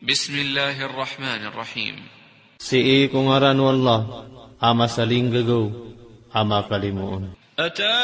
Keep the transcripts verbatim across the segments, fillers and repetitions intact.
بسم الله الرحمن الرحيم. Sii ko ngaran o Allah, a masalinggagaw, a makalimoon. أتى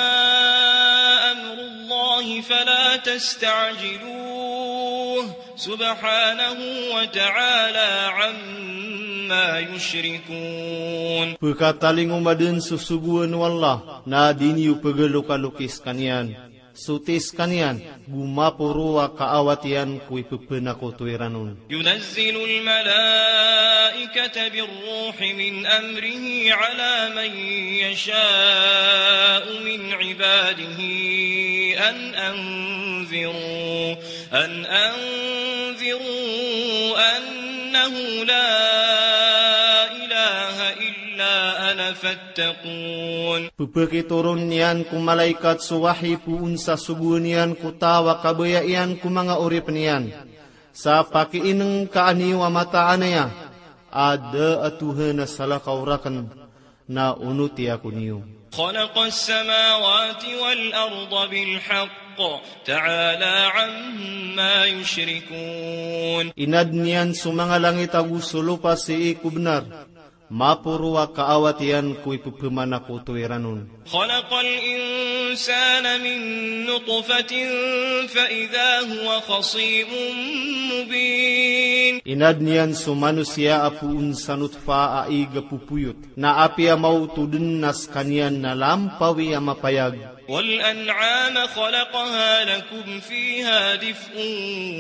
أمر الله فلا تستعجلوه سبحانه وتعالى عما يشركون. Pkatalingoma dn so sogoan o Allah, na di niyo pgalokalokis kaniyan. Sotis kaniyan, go maporo a kaawat iyan ko ipphanakoto iran on. ينزل الملائكة بالروح من أمره على من يشاء من عباده أن أنذروا، أن أنذروا أنه لا إله إلا أنا فاتقون. Pphakitoron iyan ko malaikat so wahi poon sa sogoan iyan ko taw a kabaya iyan ko manga oripn iyan. Sa pakiinngka niyo a mataan aya a da a Tohan a salakaw rakn, na onoti ako niyo. خلق السماوات والأرض بالحق تعالى عما يشركون. Inadn iyan so manga langit ago so lopa sii ko bnar, maporo a kaawat iyan ko ipphanakoto iran on. خلق الإنسان من نطفة فإذا هو خصيم مبين. Inadn iyan so manosiya a poon sa notfa a ig a popoyot, na apiya maoto dn na skaniyan na lampawi a mapayag. والأنعام خلقها لكم فيها دفء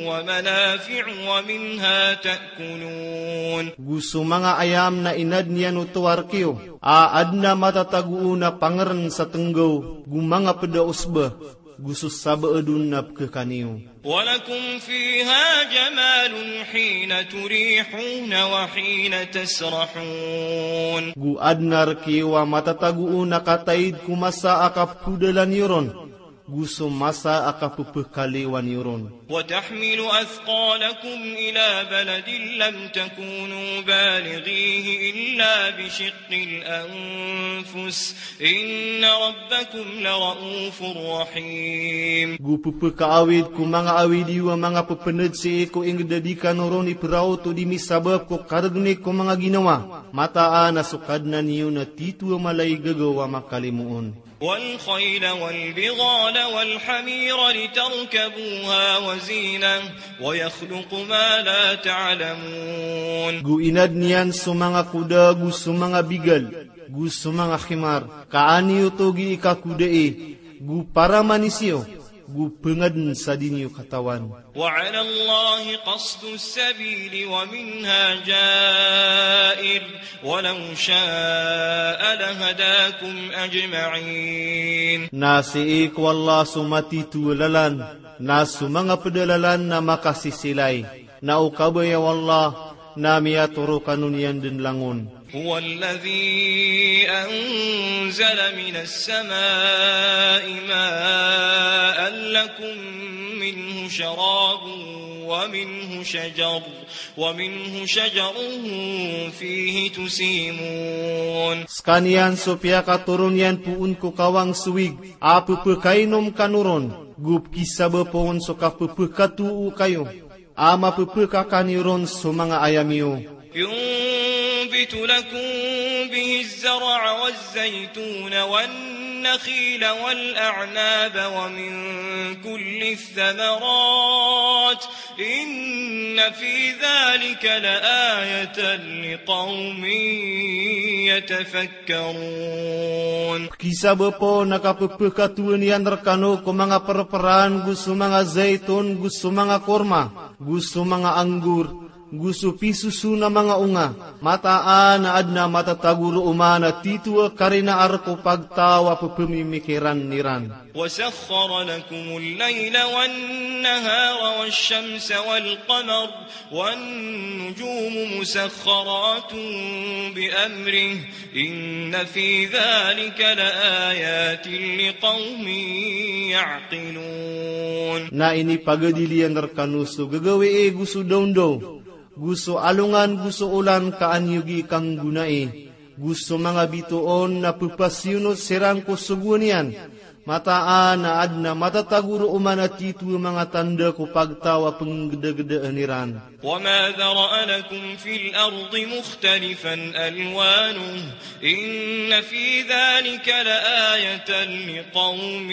ومنافع ومنها تأكلون. Go so manga ayam na inadn iyan oto a rk iyo, a adn a matatago on a pangrn sa tnggaw, go manga pd a osba, go so sabaad on na pkhakan iyo. ولكم فيها جمال حين تريحون وحين تسرحون. Go adn a rk iyo a matatago on a kataid ko masa a kapkhodalan iyo ron, go so masa a kapphakaliwan iyo ron. وتحمل أثقالكم إلى بلد لم تكونوا بالغيه إلا بشق الأنفس إن ربكم لرءوف رحيم. Go pphakaawid ko manga awid iyo a manga pphnad sii ko ingd a di kano ron ipraot o di misabap ko kargni ko manga ginawa. Mataan a so Kadnan iyo na titho a mala i gagaw a makalimoon. والخيل والبغال والحمير لتركبوها وزينة ويخلق ما لا تعلمون. Go inadn iyan so manga koda, go so manga bigal, go so manga himar, ka an iyo oto gii kakodai, go para manis iyo, go pngadn sa di niyo katawan. وعلى الله قصد السبيل ومنها جائر ولو شاء لهداكم أجمعين. Na sii ko Allah so matitho a lalan, na so manga pd a lalan na makasisilay, na o kabaya o Allah na miyatoro kano niyan dn langon. هو الذي أنزل من السماء ماء لكم منه شراب ومنه شجر، ومنه شجر فيه تسيمون. Skaniyan so piyakatoron iyan poon ko kawang so wig a pphakainom kano ron, go pkisabap on so kapphakatoo kayo a mapphakakan iyo ron so manga ayam iyo. ينبت لكم به الزرع والزيتون والنخيل والأعناب ومن كل الثمرات إن في ذلك لآية لقوم يتفكرون. Pkisabap on a kapphakatoon iyan rkano ko manga prpraan, go so manga zaitun, go so manga korma, go so manga anggur, go so pisoson a manga onga. Mataan a adn a matatago roo man a titho a karina a rk o pagtaw a pphamimikiran iran. وسخر لكم الليل والنهار والشمس والقمر والنجوم مسخرات بأمره إن في ذلك لآيات لقوم يعقلون. Na inipagadil iyan rkano so gagawii go so dawndaw, go so alongan, go so olan ka an iyo gii kanggonai, go so manga bitoon na pphasiyonot siran ko sogoan iyan, Mataan a adn a matatago roo man a titho a manga tanda ko pagtaw a pnggdagdaan iran. وما ذرأ لكم في الأرض مختلفا ألوانه إن في ذلك لآية لقوم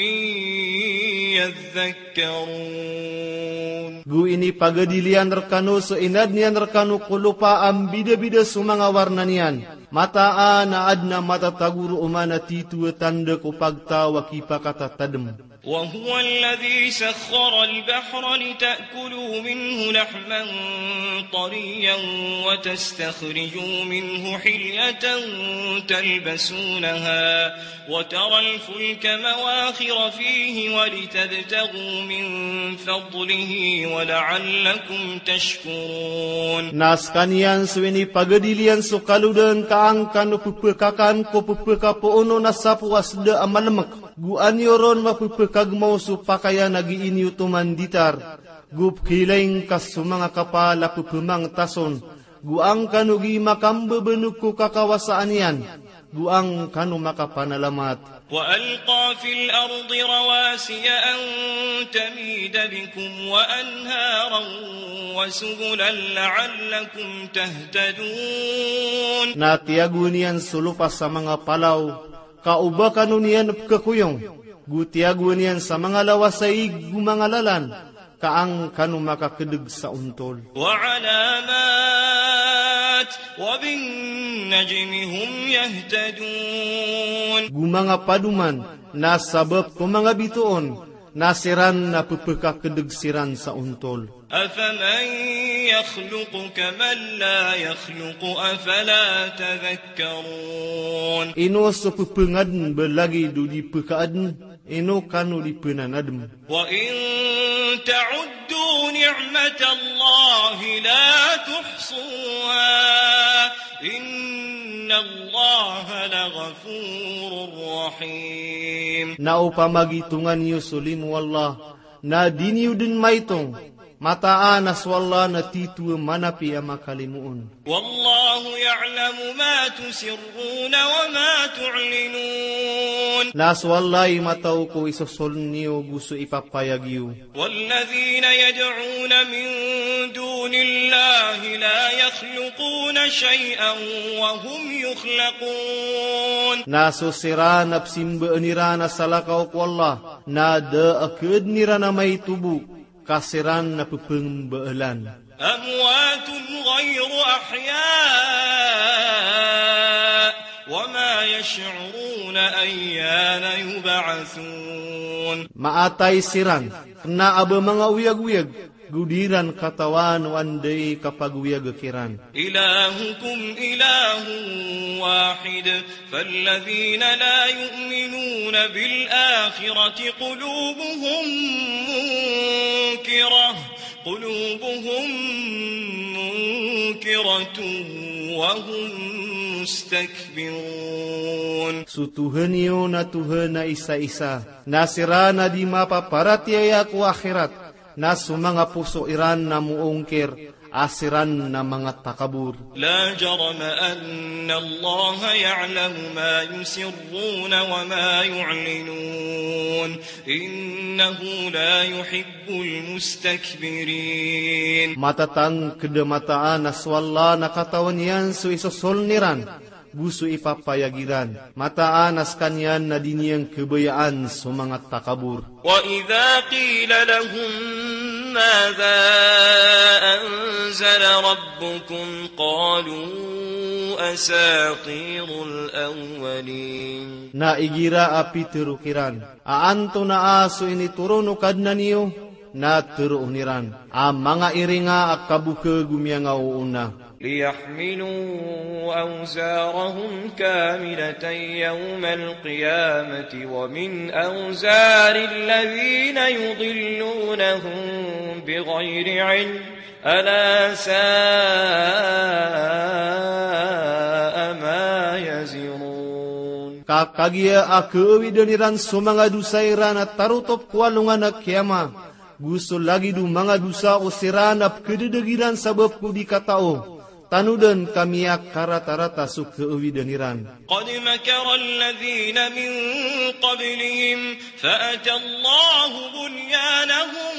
يذكرون. Go inipagadil iyan rkano so inadn iyan rkano ko lopa a mbidabida so manga warna niyan. Mataan a adn a matatago roo man a titho a tanda ko pagtaw a kipakatatadm. وهو الذي سخر البحر لتأكلوا منه لحما طريا وتستخرجوا منه حلية تلبسونها وترى الفلك مواخر فيه ولتبتغوا من فضله ولعلكم تشكرون. Na skaniyan so inipagadil iyan so kalodaan ka an kano pphakakan ko pphakapoono na sapo a sda a malmk. Go an iyo ron mapphakagmaw so pakayan a gii niyo toman ditar. Go pkhilaing ka so manga kapal a pphmangtas on. Go an kano gii makambabanok ko kakawasaan iyan. Go an kano makapanalamat. وألقى في الأرض رواسي أن تميد بكم وأنهارا وسبلا لعلكم تهتدون. Na tiyagoan iyan so lopa sa manga palaw, ka o ba kano niyan pkhakoyong, go tiyagoan iyan sa manga lawas a ig go manga lalan, ka an kano makakdg sa ontol. وعلامات وبالنجم هم يهتدون. Go manga padoman, na sabap ko manga bitoon, na siran na pphakdg siran sa ontol. أفمن يخلق كمن لا يخلق أفلا تذكرون. Ino so pphangadn ba lagid o di pkhaadn, ino kano di pnanadm. وإن تعدوا نعمة الله لا تحصوها إن الله لغفور رحيم. Na opama gitongan iyo so limo o Allah, na di niyo dn maitong, mataan a so Allah na titho a manapi a makalimoon. والله يعلم ما تسرون وما تعلنون. Na so Allah i mataw ko isosoln iyo go so ipapayag iyo. والذين يدعون من دون الله لا يخلقون شيئا وهم يخلقون. Na so siran a psimbaan iran a salakaw ko Allah, na da a khaadn iran a maito bo, ka siran na pphmbaalan. أموات غير أحياء وما يشعرون أيان يبعثون. Maatay siran, kna a ba manga oyagoyag, go di iran katawan o anda i kapagoyag kiran. إلهكم إله واحد فالذين لا يؤمنون بالآخرة قلوبهم منكرة، قلوبهم منكرة وهم مستكبرون. So Tuhan iyo na Tuhan a isa-isa, na siran a di mapaparatiyaya ko akhirat, na so manga poso iran na moongkir, a siran na manga takabor. لا جرم أن الله يعلم ما يسرون وما يعلنون إنه لا يحب المستكبرين. Matatangkd a mataan a so Allah na katawan iyan so isosoln iran go so ipapayag iran. Mataan a skaniyan na di niyan khabayaan so manga takabor. وإذا قيل لهم ماذا أنزل ربكم قالوا أساطير الأولين. Na igira a pitharo kiran a antonaa so initoron o Kadnan iyo, na tharoon iran a manga iringa a kabokha go miyangaoona. ليحملوا أوزارهم كاملة يوم القيامة ومن أوزار الذين يضلونهم بغير علم ألا ساء ما يزرون. Ka kagiya a khaawidan iran so manga dosa iran a tarotop ko alongan a kiyama, go so lagid o manga dosa o siran a pkhadadagi ran sabap ko di katao, Tanodan ka miyakaratarata so kaawidan iran. قد مكر الذين من قبلهم فأتى الله بنيانهم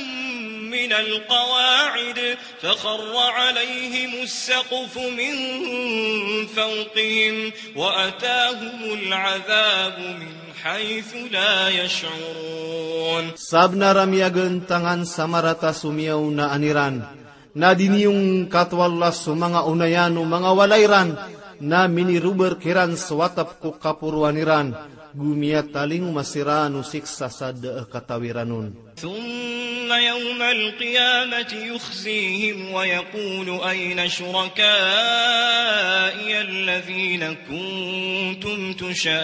من القواعد فخر عليهم السقف من فوقهم وأتاهم العذاب من حيث لا يشعرون. Sabnar a miyagantangan sa marata so miyaonaan iran, na diniyongkat o Allah so manga onayan o manga walay ran, na minirobar kiran so atap ko kaporoan iran, go miyatalingoma siran o siksa sa da a katawi ran on. ثم يوم القيامة يخزيهم ويقول أين شركائي الذين كنتم تشاقون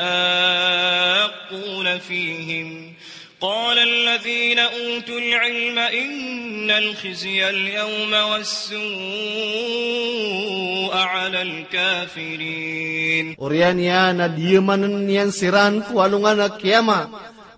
فيهم قال الذين أوتوا العلم إن الخزي اليوم والسوء على الكافرين. Oriyan iyan a diyamanen iyan siran ko alongan a kiyama,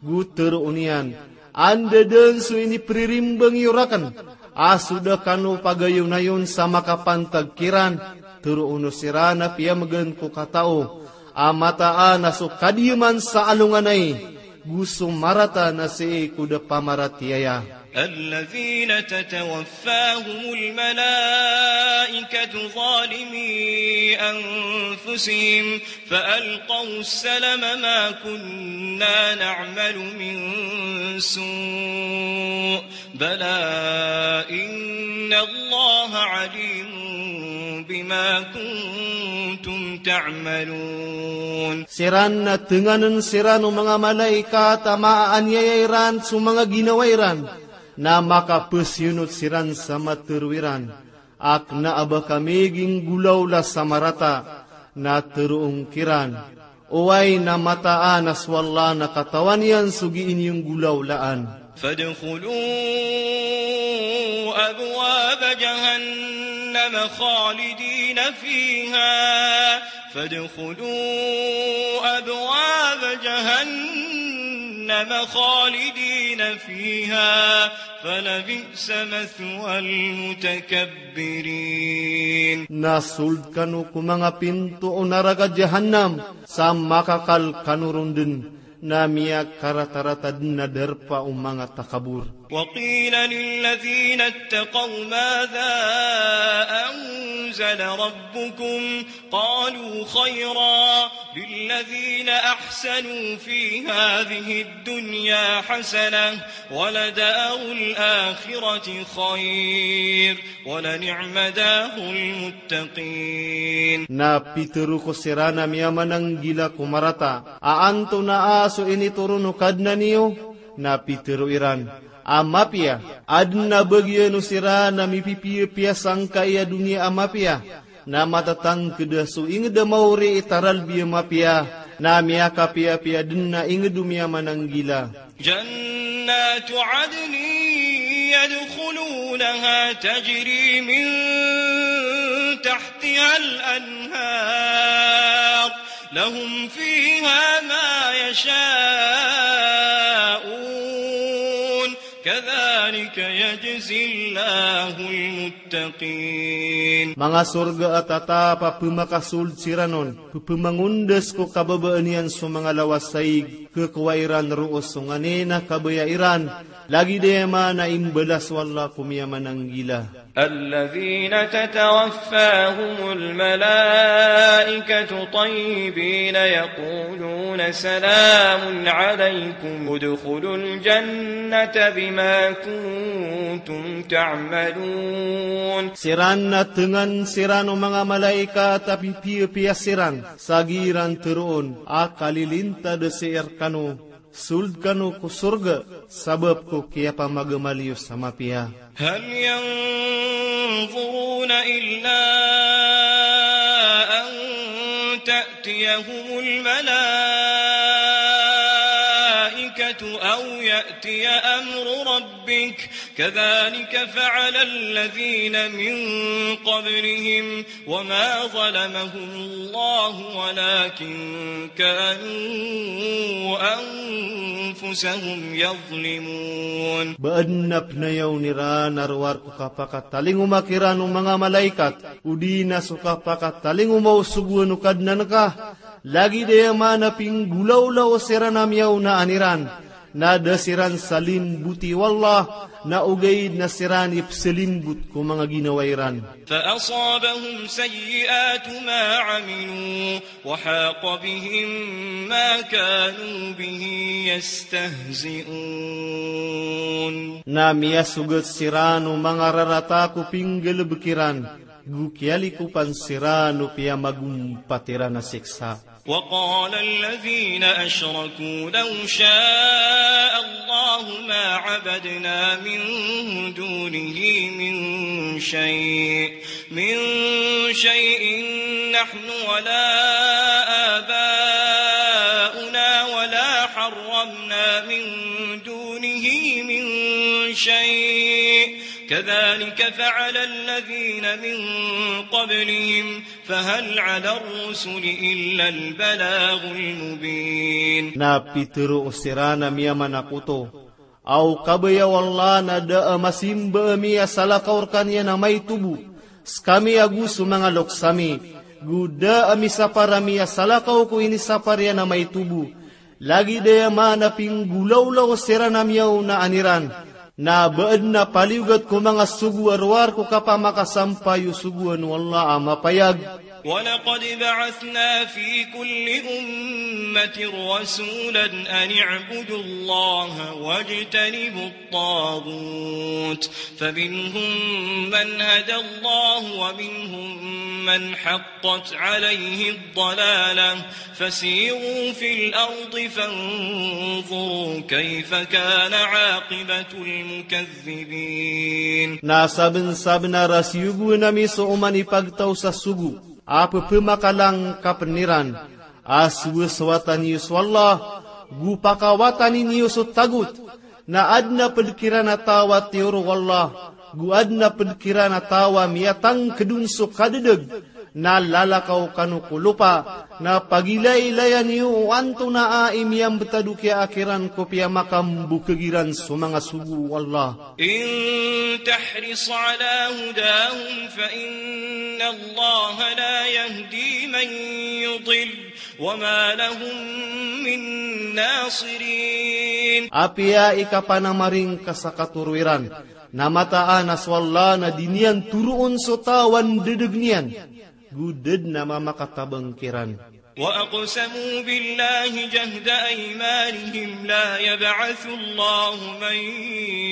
go teroon iyan, anda den so inipririmbang iyo raken a so da kano pagayonayon sa makapantag kiran? Teroon o siran a piyamegan ko katao a mataan a so kadiyaman sa alongan ai, go so marata na sii ko da pamaratiyaya. الذين تتوفاهم الملائكة ظالمي أنفسهم فألقوا السلم ما كنا نعمل من سوء بلى إن الله عليم بما كنتم تعملون. Siran na tenganen siran o manga malaikat a maaaniyaya iran so manga ginawa iran, na makapesiyonot siran sa matero iran a kena a ba kami ginggolawla sa marata. Na teroon kiran, oway, na mataan a so Allah na katawan iyan so gii niyo nggolawlaan. فادخلوا أبواب جهنم خالدين فيها فادخلوا أبواب جهنم خالدين فيها فلبئس مثوى المتكبرين. Na sold kano ko manga pinto o naraka Jahannam, sa makakal kano ron den, na miyakaratarata den a darpa o manga takabor. وقيل للذين اتقوا ماذا أنزل ربكم قالوا خيرا للذين أحسنوا في هذه الدنيا حسنة ولدار الآخرة خير ولنعم دار المتقين. Na pitero ko siran a miyamananggila ko marata a antonaa so initoron o Kadnan iyo? Na pitero iran a mapiya. Aden a bagian o siran a mipipiyapiya sangkai a doniya a mapiya, na matatangked a so inged a maori i taralbi a mapiya, na miyakapiyapiya den a inged o miyamananggila. جنات عدن يدخلونها تجري من تحتها الأنهار لهم فيها ما يشاءون كذلك يجزي الله المتقين. Manga sorga a tatap a pemakasold siran on, pepemangondas ko kababaan iyan so manga lawas a ig, kekowa iran roo so nganin a kabaya iran, lagid aya man a imbalas o Allah ko miyamananggila. الذين تتوفاهم الملائكة طيبين يقولون سلام عليكم ادخلوا الجنة بما كنتم تعملون. Siran na tengan siran o manga malaikat a pipiyapiya siran, sa giran teroon a kalilintad sii rekano, sold kano ko sorga sabap ko kiyapamagamal iyo sa mapiya. هل ينظرون إلا أن تأتيهم الملائكة أو يأتي أمر ربك كذلك فعل الذين من قبلهم وما ظلمهم الله ولكن كانوا أنفسهم يظلمون. Ba adn a pnayawn iran a rowar ko kapakatalingoma kiran o manga malaikat, odi na so kapakatalingoma o sogoan o Kadnan ka, lagid aya maana a pinggolawla o siran a miyaonaan iran, na da siran salimboti o Allah, na ogaid na siran i psalimbot ko manga ginawa iran. فأصابهم سيئات ما عملوا وحاق بهم ما كانوا به يستهزئون. Na miyasogat siran o manga rarata ko pinggalbk iran, go kiyalikopan siran o piyamagompat iran a siksa. وقال الذين أشركوا لو شاء الله ما عبدنا من دونه من شيء، من شيء نحن ولا آباؤنا ولا حرمنا من دونه من شيء، كذلك فعل الذين من قبلهم، فهل على الرسل إلا البلاغ المبين. Na pitharo siran a miyamanakoto, aw kabaya o Allah na da a masimba ami a salakaw rkaniyan a maito bo, skami ago so manga loks ami, go da a misapar ami a salakaw ko inisapar iyan a maito bo, lagid aya maana a pinggolawla o siran a miyaonaan iran, na ba adn a paliyogat ko manga sogo a rowar ko kapamakasampay o sogoan o Allah a mapayag. ولقد بعثنا في كل أمة رسولا أن اعبدوا الله واجتنبوا الطاغوت، فمنهم من هدى الله ومنهم من حقت عليه الضلالة، فسيروا في الأرض فانظروا كيف كان عاقبة المكذبين. Na sabnsabnar a siyogoan ami so oman i pagtaw sa sogo a ppmakalangkapn iran, a sowasowatan iyo so Allah, go pakawatani niyo so tagot, na adn a pd kiran a taw a tiyoro o Allah, go adn a pd kiran a taw a miyatangkd on so kadadg, na lalakaw kano ko lopa, na pagilaylayan iyo o antonaa i miyambtad o kiyaak iran ko piyamakambokhag iran so manga sogo o Allah. إن تحرص على هداهم فإن الله لا يهدي من يضل وما لهم من ناصرين. Apiya ikapanamaring ka sa katoro iran, na mataan a so Allah na di niyan toroon so taw a ndadg niyan, go da dn a mamakatabang kiran. وأقسموا بالله جهد أيمانهم لا يبعث الله من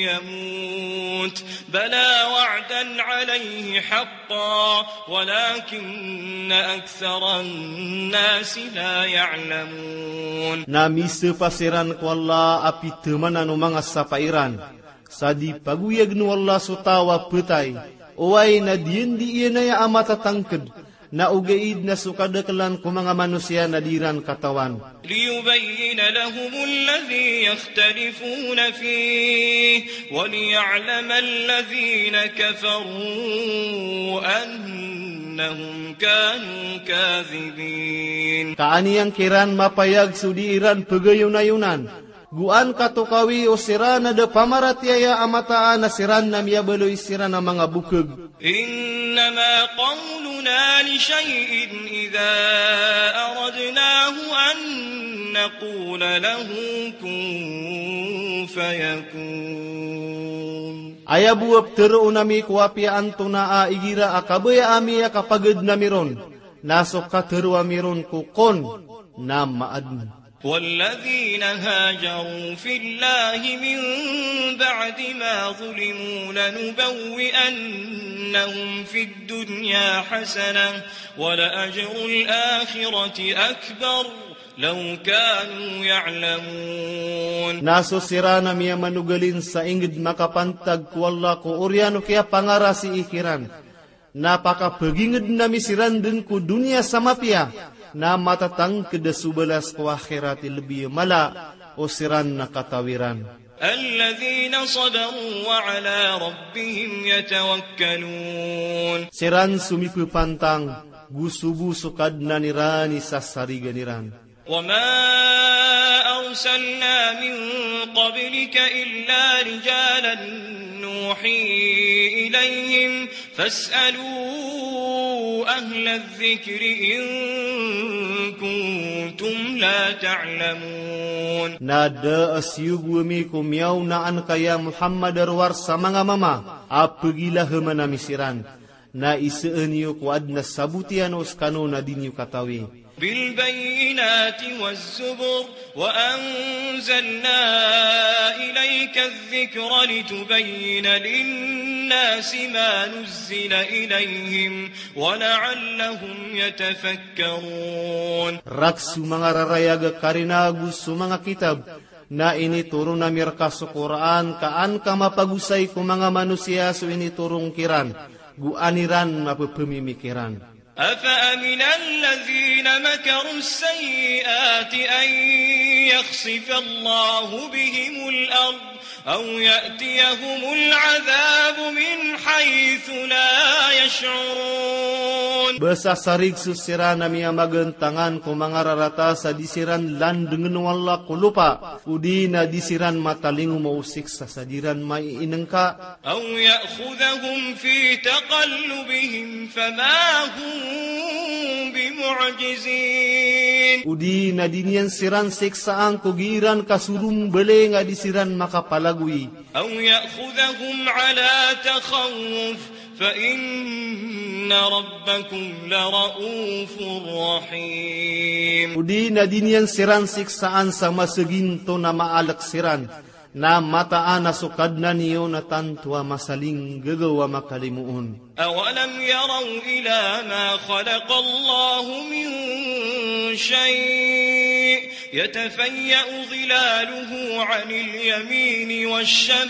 يموت بلى وعدا عليه حقا ولكن أكثر الناس لا يعلمون. Na misapa siran ko Allah a pithamanan o manga sapa iran, sa di pagoyagn o Allah so taw a pthay, oway na di iyan di iyan aya a matatangkd, na ogaid na so kadaklan ko manga manosiya na di iran katawan. ليبين لهم الذي يختلفون فيه وليعلم الذين كفروا أنهم كانوا كاذبين. Ka an iyan kiran mapayag so di iran pgayonayonan, go an katokawi o siran a da pamaratiyaya a mataan a siran na miyabaloy siran a manga bokhag. إنما قولنا لشيء إذا أردناه أن نقول له كن فيكون. Aya bo a ptharoon ami ko apiya antonaa igira a kabaya ami a kapagadn ami ron, na so katharo ami ron ko kun, na maadn. والذين هاجروا في الله من بعد ما ظلموا لنبوئنهم في الدنيا حسنة ولأجر الآخرة أكبر لو كانوا يعلمون. Na so siran a miyamanogalin sa ingd makapantag ko Allah ko oriyan o kiyapangarasii kiran, na pakapagingdn ami siran dn ko doniya sa mapiya, na matatangkd a so balas ko akhirat i lbi a mala o siran na kataw iran. الذين صبروا وعلى ربهم يتوكلون. Siran so mipepantang, go so bo so Kadnan iran i sasarigan iran. وما أرسلنا من قبلك إلا رجالا نوحي إليهم فاسألوا أهل الذكر إن كنتم لا تعلمون. Na da a siyogo ami ko miyaona anka ya Muhammad a rowar sa manga mama a pegilaheman ami siran. Na iseen iyo ko aden a saboti ano sekano na di niyo katawi. بالبينات والزبر وأنزلنا إليك الذكر لتبين للناس ما نزل إليهم ولعلهم يتفكرون. Rek so manga rarayag a karina ago so manga kitab, na initoron ami reka so Qur'an, ka an ka mapagosay ko manga manosiya so initoron kiran, go an iran mapepemimikiran. أفأمن الذين مكروا السيئات أن يخسف الله بهم الأرض أو يأتيهم العذاب من حيث لا يشعرون. Ba sasarig so siran a miyamagentangan ko manga rarata sa di siran landengen o Allah ko lopa, odi na di siran matalingoma o siksa sa di ran maiinengka. أو يأخذهم في تقلبهم فما هم بمعجزين. Odi na di niyan siran siksaan ko gii ran kasorombaling a di siran makapalagoy. أو يأخذهم على تخوف فإن ربكم لرءوف رحيم. Odi na di niyan siran siksaan sa maseginto na maalek siran, na mataan a so Kadnan iyo na tanto a masalinggagaw a makalimoon. أولم يروا إلى ما خلق الله من شيء يتفيأ ظلاله عن اليمين والشمائل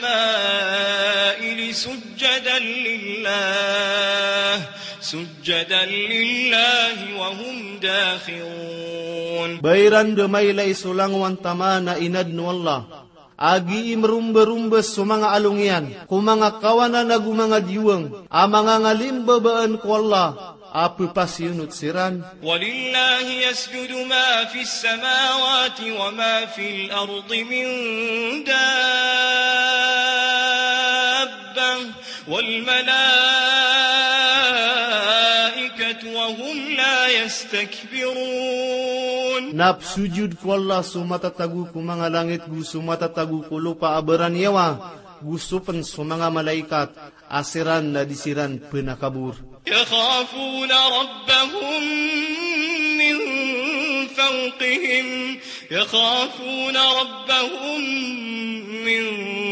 سجدا لله، سجدا لله وهم داخرون. Ba iran da mailay so langowan taman a inaden o Allah a gii meromba-romba so manga along iyan ko manga kawanan ago manga diwang a manga ngalimbabaan ko Allah a pepasiyonot siran. ولله يسجد ما في السماوات وما في الأرض من دابة والملائكة وهم لا يستكبرون. Na pesojod ko Allah so matatago ko manga langit go so matatago ko lopa a baraniyawa, go so pen so manga malaikat, a siran na di siran penakabor. يخافون ربهم من فوقهم، يخافون ربهم من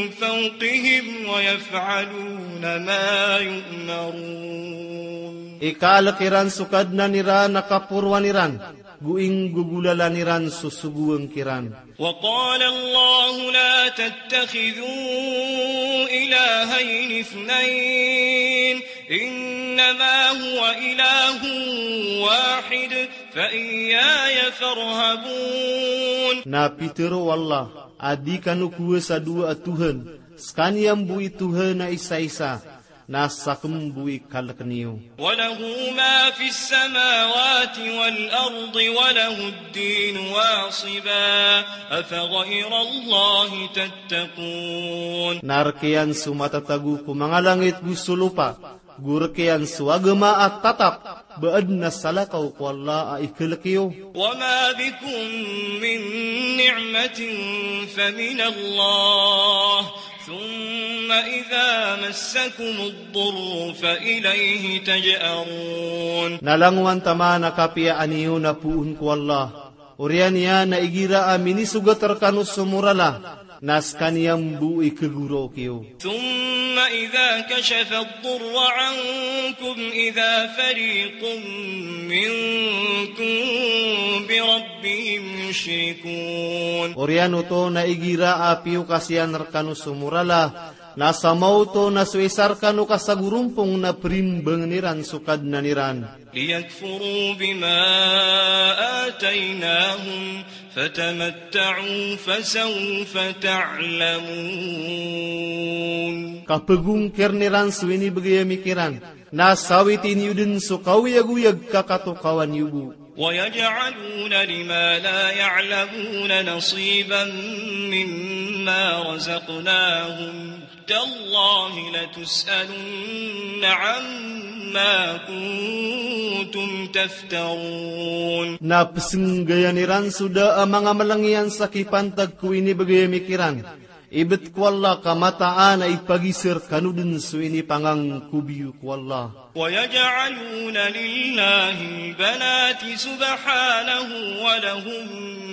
فوقهم ويفعلون ما يؤمرون. Ikaalek iran so Kadnan iran a kaporoan iran, go inggogolalan iran so sogoan kiran. وقال الله لا تتخذوا إلهين اثنين إنما هو إله واحد فإياي فارهبون. Na pitero o Allah a di kano kowasa dowa a Tohan, sekaniyan bo i Tohan a isaisa, na saken bo i kaleken iyo. وله ما في السماوات والأرض وله الدين واصبا أفغير الله تتقون. Na rek iyan so matatago ko manga langit go so lopa, go rek iyan so agama a tatap, ba aden a salakaw ko Allah a ikalek iyo. وما بكم من نعمة فمن الله ثم إذا مسكم الضر فإليه تجأرون. Na langowan taman a kapiyaan iyo na poon ko Allah, oriyan iyan a igira a minisogat rekano so morala, na sekaniyan bo i kegorok iyo. ثم إذا كشف الضر عنكم إذا فريق منكم بربهم يشركون. Oriyan oto na igira a piyokas iyan rekano so morala, Na sa maoto na so isa rkano ka sagorompong na primbangn iran so Kadnan iran. ليكفروا بما آتيناهم فتمتعوا فسوف تعلمون. Ka pagongkirn iran so inibgay ami kiran, na sawiti niyo dn so kaoyagoyag ka katokawan iyo bo. ويجعلون لما لا يعلمون نصيبا مما رزقناهم تالله لتسألن عما كنتم تفترون. Na psnggayan iran so da a manga mlngiyan sa kipantag ko inibgay ami kiran. Ibt ko Allah ka mataan a ipagisa rkano dn so inipangangkob iyo ko Allah. ويجعلون لله البنات سبحانه ولهم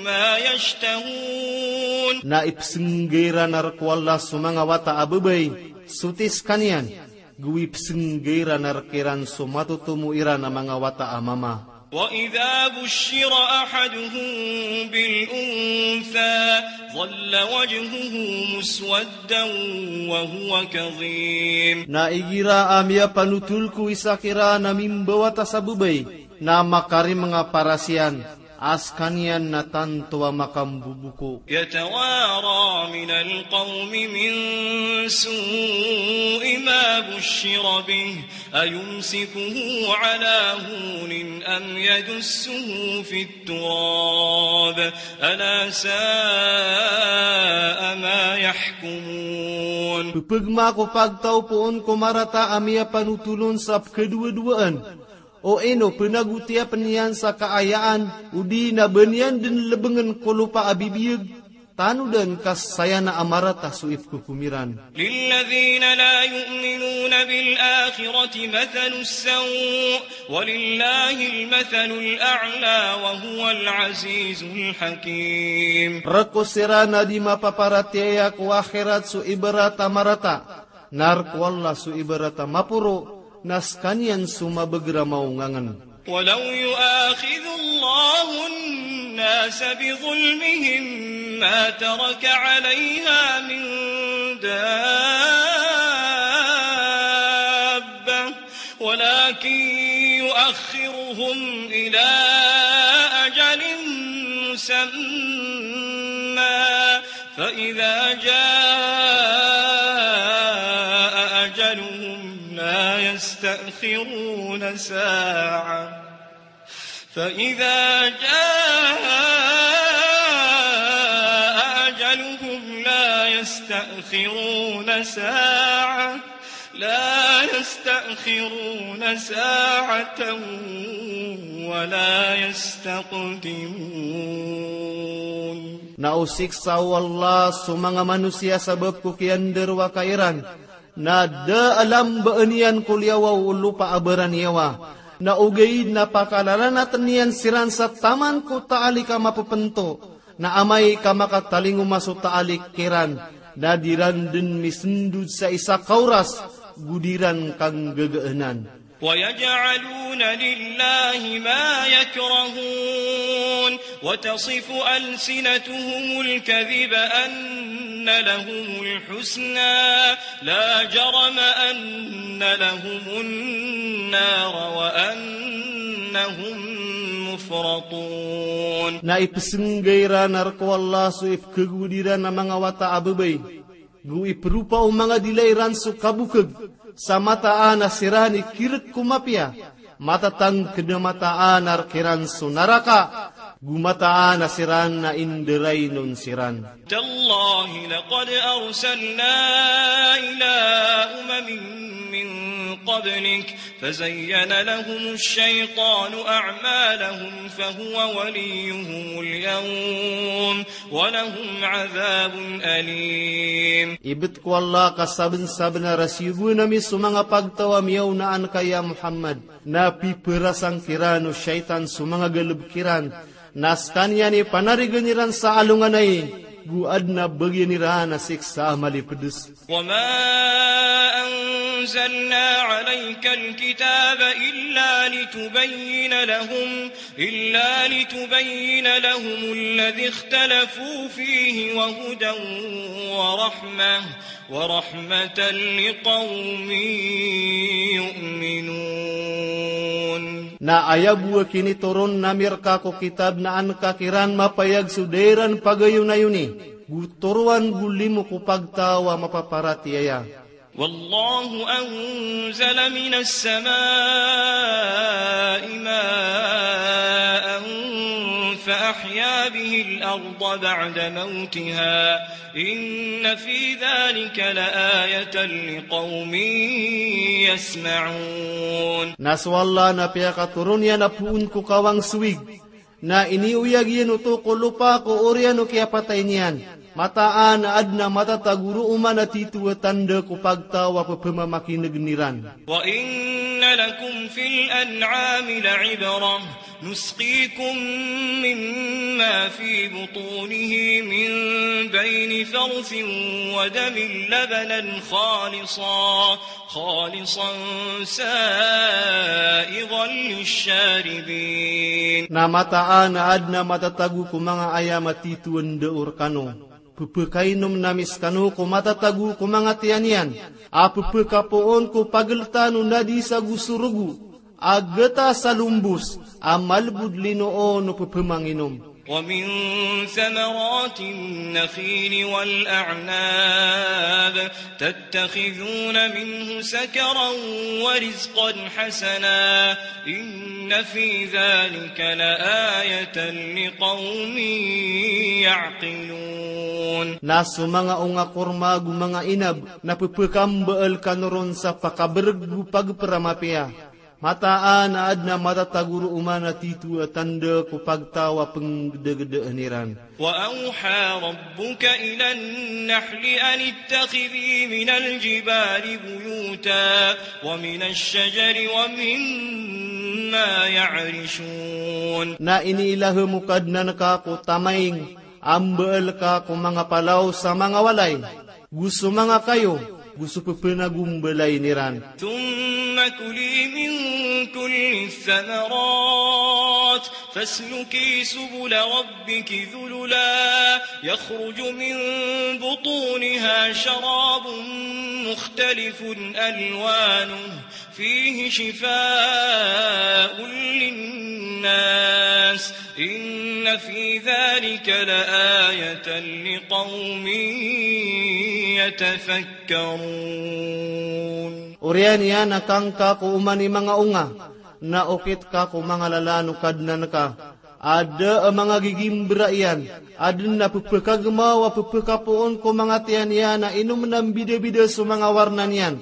ما يشتهون. Na ipsngga iran rk o Allah so manga wata a babay, soti skaniyan, go ipsngga iran rk iran so matotomo iran a manga wata a mama. وإذا بشر أحدهم بالأنثى ظل وجهه مسودا وهو كظيم. Na igira a miyapanotol ko isa kiran a mimbawata sa babay, na makarimnga paras iyan, a skaniyan na tanto a makamboboka. يتوارى من القوم من سوء ما بشر به أيمسكه على هون أم يدسه في التراب ألا ساء ما يحكمون. Ppgma ko pagtaw poon ko marata a miyapanotol on sa pkhadowadowaan, o ino pnagotiya pn iyan sa kaayaan, odi na ba niyan dn lbngn ko lopa a bibiyag, tanodan ka saya na a marata so ipkhokom iran. للذين لا يؤمنون بالآخرة مثل السوء ولله المثل الأعلى وهو العزيز الحكيم. Rk o siran a di mapaparatiyaya ko akhirat so ibarat a marata, na rk o Allah so ibarat a maporo, na skaniyan so mabagr a maongangn. ولو يؤاخذ الله الناس بظلمهم ما ترك عليها من دابة ولكن يؤخرهم إلى أجل مسمى فإذا جاء أجلهم لا يستأخرون ساعة فإذا جاء أجلهم لا يستأخرون ساعة لا يستأخرون ساعة ولا يستقدمون. Na o siksa o Allah so manga manosiya sabap ko kiyandarowaka iran, na da a lambaan iyan ko liyawaw o lopa a baraniyawa, na ogaid na pakalalanatn iyan siran sa taman ko taalik a mapepento, na amay ka makatalingoma so taalik kiran, na di ran dn misndod sa isa ka oras, go di ran kanggagaan. ويجعلون لله ما يكرهون وتصف ألسنتهم الكذب أن لهم الحسنى لا جرم أن لهم النار وأنهم مفرطون. Na ipsngga iran rk o Allah so ipkhagowad iran a manga wata a babay, go ipropa o manga dila iran so kabokg, sa mataan a siran i kirk ko mapiya, matatangkd a mataan a rk iran so naraka, go mataan a siran a indarainon siran. تالله لقد أرسلنا إلى أمم من قبلك فزين لهم الشيطان أعمالهم فهو وليهم اليوم ولهم عذاب أليم. Ibt ko Allah ka sabnsabnar a siyogoan ami so manga pagtaw a miyaona anka ya Muhammad, na piperasang kiran o shaytan so manga galbk iran, na skaniyan i panarigan iran sa alonganay, go adn a bagian iran a siksa a malipds. وما أنزلنا عليك الكتاب إلا لتبين لهم إلا لتبين لهم الذي اختلفوا فيه وهدى ورحمة ورحمة لقوم يؤمنون. Na aya bo a kinitoron ami rka ko kitab na an ka kiran mapayag so da iran pagayonayoni, go toroan go limo ko pagtaw a mapaparatiyaya. والله أنزل من السماء ماء فأحيا به الأرض بعد موتها إن في ذلك لآية لقوم يسمعون. Na so Allah na piyakatoron iyan a poon ko kawang so wig, na iniyoyag iyan oto ko lopa ko oriyan o kiyapatay niyan. Mataan a adn a matatago roo man a tito a tanda ko pagtaw a pphamakinegn iran. وإن لكم في الأنعام لعبرة نسقيكم مما في بطونه من بين فرث ودم لبنا خالصا خالصا سائغا للشاربين. Na mataan a adn a matatago ko manga ayam a tito a nda o rkano. Pphakainom ami skano ko matatago ko manga tiyan iyan a pphakapoon ko pagltan o nadis ago so rogo a gta sa lombos a malbod lino o pphmanginom. ومن ثمرات النخيل والأعناب تتخذون منه سكرا ورزقا حسنا إن في ذلك لآية لقوم يعقلون. Na so manga onga korma ago manga inab na pphakambal kano ron sa pakabrg o pagpra mapiya. Mataan a adn a matatago roo man a tito a tanda ko pagtaw a pnggdagdaan iran. وأوحى ربك إلى النحل أن اتخذي من الجبال بيوتا ومن الشجر ومما يعرشون. Na iniilahem o Kadnan ka ko tamaing a mbaal ka ko manga palaw sa manga walay, go so manga kayo, go so pphanagombalay iran. ثم كلي من كل الثمرات فاسلكي سبل ربك ذللا يخرج من بطونها شراب مختلف ألوانه فيه شفاء للناس إن في ذلك لآية لقوم يتفكرون. Oriyan iyan a kangka ko oman i manga onga, na okit ka ko manga lalan o Kadnan ka. A da a manga gigimbra iyan, adn a pphakagmaw a pphakapoon ko manga tiyan iyan a inomn a mbidabida so manga warna niyan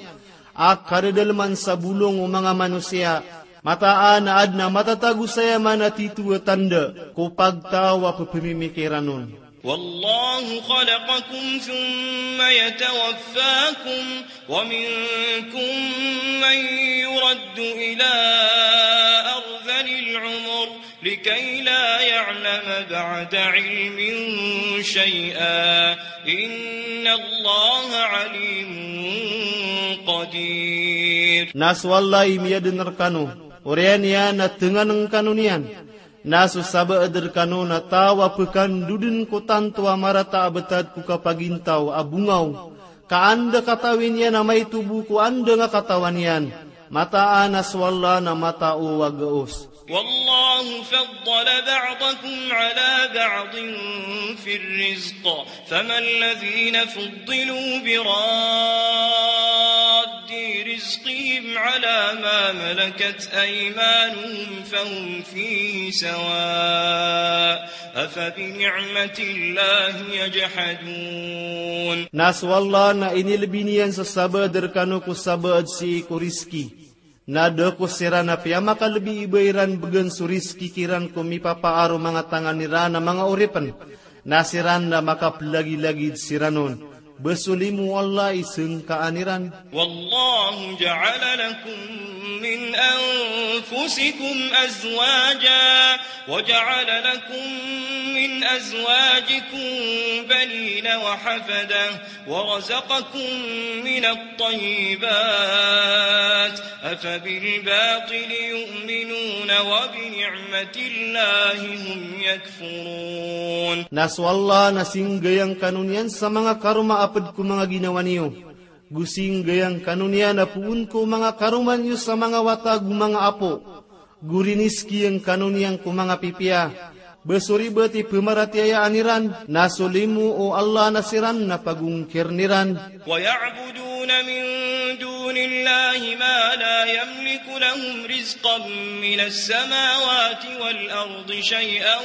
a kadadalman sa bolong o manga manosiya. Mataan a adn a matatago saya man a tito a tanda ko pagtaw a pphmimikiran on. والله خلقكم ثم يتوفاكم ومنكم من يرد إلى أرذل العمر لكي لا يعلم بعد علم شيئا إن الله عليم قدير. Na so Allah i miyadn rkano, oriyan iyan a tngan ngkano niyan. Na so sabaad rkano na taw a pkandodn ko tanto a marata a btad ko kapagintaw a bongaw, ka anda katawi niyan a maito bo ko anda nga katawan iyan. Mataan a so Allah na matao a gaos. والله فضل بعضكم على بعض في الرزق فما الذين فضلوا براد رزقهم على ما ملكت أيمانهم فهم فيه سواء أفبنعمة الله يجحدون. Na so Allah na inilbi niyan so sabaad rkano ko sabaad sii ko rizki. Na da ko siran a piyamakalbi i ba iran bgan so rizki kiran ko mipapaar o manga tangan iran a manga oripn. Na siran na makaplagilagid siran on. Ba so limo o Allah i sngkaan iran. والله جعل لكم من أنفسكم أزواجا وجعل لكم من أزواجكم بنين وحفدة ورزقكم من الطيبات أفبالباطل يؤمنون وبنعمة نعمة الله هم يكفرون. Na so Allah na singgayang kano niyan sa manga karoma a pd ko manga ginawa niyo. Go singgayang kano niyan a poon ko manga karoma niyo sa manga wata go manga apo. Go riniskiyang kano niyan ko manga pipiya. Ba so ribat i pmaratiyayaan iran, na so limo o Allah na siran na pagongkirn iran. ويعبدون من دون الله ما لا يملك لهم رزقا من السماوات والأرض شيئا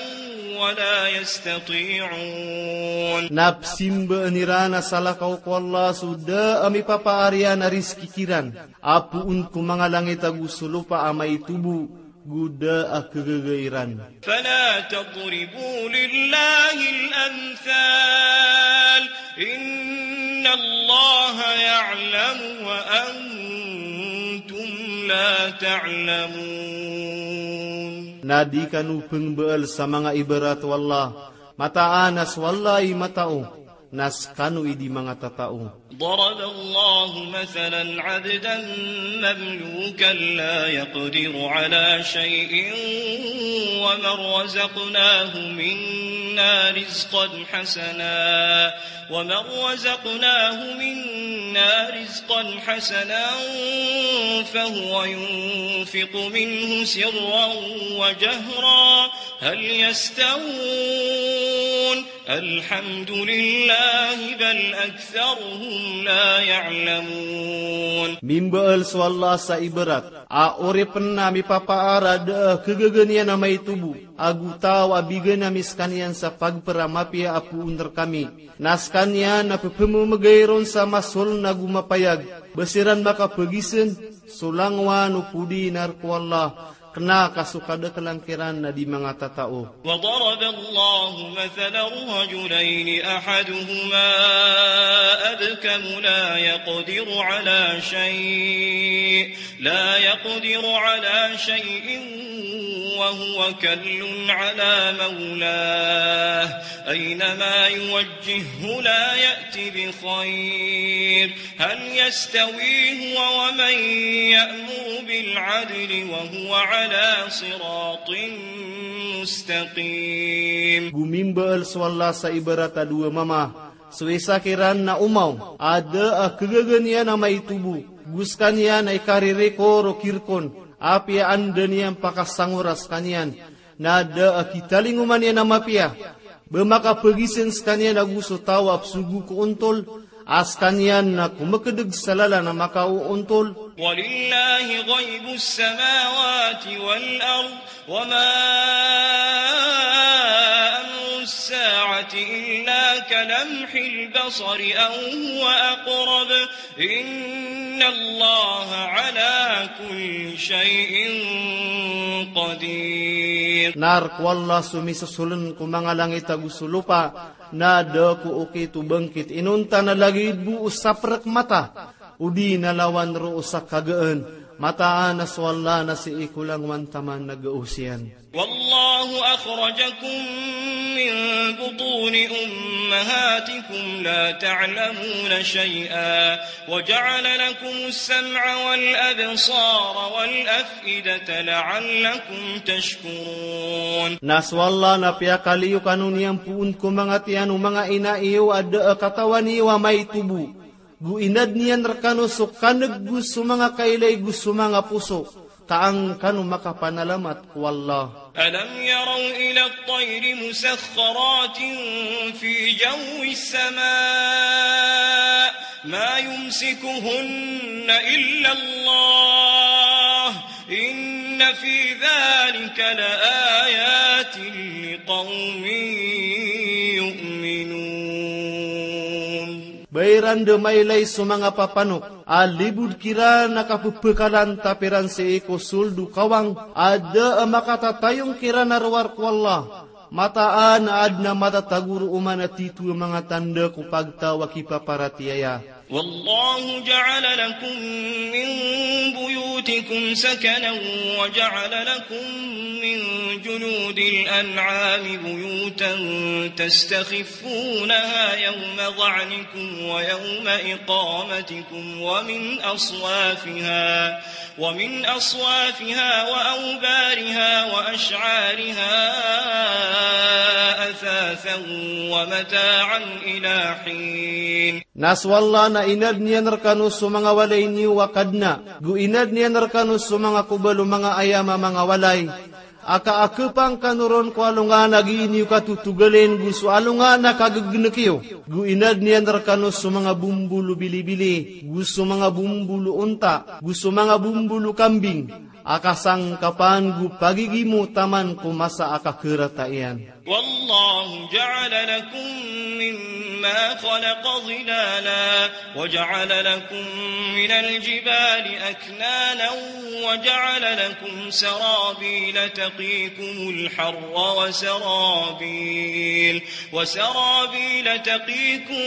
ولا يستطيعون. Na pzimbaan iran a salakaw ko Allah so da a mipapaar iyan a rizki kiran a poon ko manga langit ago so lopa a maitobo, go da a khagaga iran. فلا تضربوا لله الأمثال، إن الله يعلم وأنتم لا تعلمون. Na di kano pngbaal sa manga ibarat o Allah, mataan a so Allah i matao, na skano i di manga tatao. ضرب الله مثلا عبدا مملوكا لا يقدر على شيء ومن رزقناه منا رزقا حسنا، ومن رزقناه منا رزقا حسنا فهو ينفق منه سرا وجهرا، هل يستوون؟ الحمد لله بل أكثرهم لا يعلمون. Mimbaal so Allah sa ibarat a oripn a mipapaar a da a khagaga niyan a maitobo, ago taw a bigan ami skaniyan sa pagpr a mapiya a poon rkami. Na skaniyan na pphamamgay ron sa masoln ago mapayag, ba siran makapagizn so langowan o podi na rk o Allah, kna ka so kadaklan kiran na di manga tatao. وضرب الله مثلا رجلين أحدهما أبكم لا يقدر على شيء، لا يقدر على شيء وهو كل على مولاه أينما يوجهه لا يأت بخير، هل يستوي هو ومن يأمر بالعدل وهو على صراط مستقيم. Go mimbaal so Allah sa ibarat a dowa mama, so isa kiran na omaw a da a khagaga niyan a maitobo, go skaniyan na ikaririkor o kirkon, apiya anda niyan pakasangora skaniyan, na da a kitalingoman iyan a mapiya, ba makapagizn skaniyan ago so taw a pzogo ko ontol, a skaniyan na komkdg sa lalan a makaoontol. ولله غيب السماوات والأرض وما أمر الساعة إلا كلمح البصر أو هو أقرب إن الله على كل شيء قدير. Na rk o Allah so misosoln ko manga langit ago so lopa, na da ko okit o bangkit inonta na lagid bo o saprk mata, odi na lawan roo sa kagaan, mataan a so Allah na sii ko langowan taman na gaos iyan. والله أخرجكم من بطون أمهاتكم لا تعلمون شيئا وجعل لكم السمع والأبصار والأفئدة لعلكم تشكرون. Na so Allah na piyakaliyo kano niyan poon ko manga tiyan o manga ina iyo a da a katawan iyo a maitobo. Go inadn iyan rkano so kaneg go so manga kailay go so manga poso, ka an kano makapanalamat ko Allah. ألم يروا إلى الطير مسخرات في جو السماء ما يمسكهن إلا الله إن في ذلك لآيات لقوم يؤمنون. Ba iran da mailay so manga papanok a libod kiran a kapepekalan tapiran sii ko sold o kawang a da a makatatayong kiran a rowar ko Allah. Mataan a adn a matatago roo man a tito a manga tanda ko pagtaw a kipaparatiyaya. والله جعل لكم من بيوتكم سكنا وجعل لكم من جلود الأنعام بيوتا تستخفونها يوم ظعنكم ويوم إقامتكم ومن أصوافها، ومن أصوافها وأوبارها وأشعارها أثاثا ومتاعا إلى حين. Na so Allah na inadn iyan rkano so manga walay niyo a Kadnan, go inadn iyan rkano so manga kobal o manga ayam a manga walay, a ka a khapang kano ron ko alongan a gii niyo katotogalin, go so alongan a kaggnek iyo, go inadn iyan rkano so manga bombol o bilibili, go so manga bombol o onta, go so manga bombol o kambing, a kasangkapan go pagigimo taman ko masa a kakharata iyan. والله جعل لكم مما خلق ظلالا وجعل لكم من الجبال أكنانا وجعل لكم سرابيل تقيكم الحر وسرابيل، وسرابيل تقيكم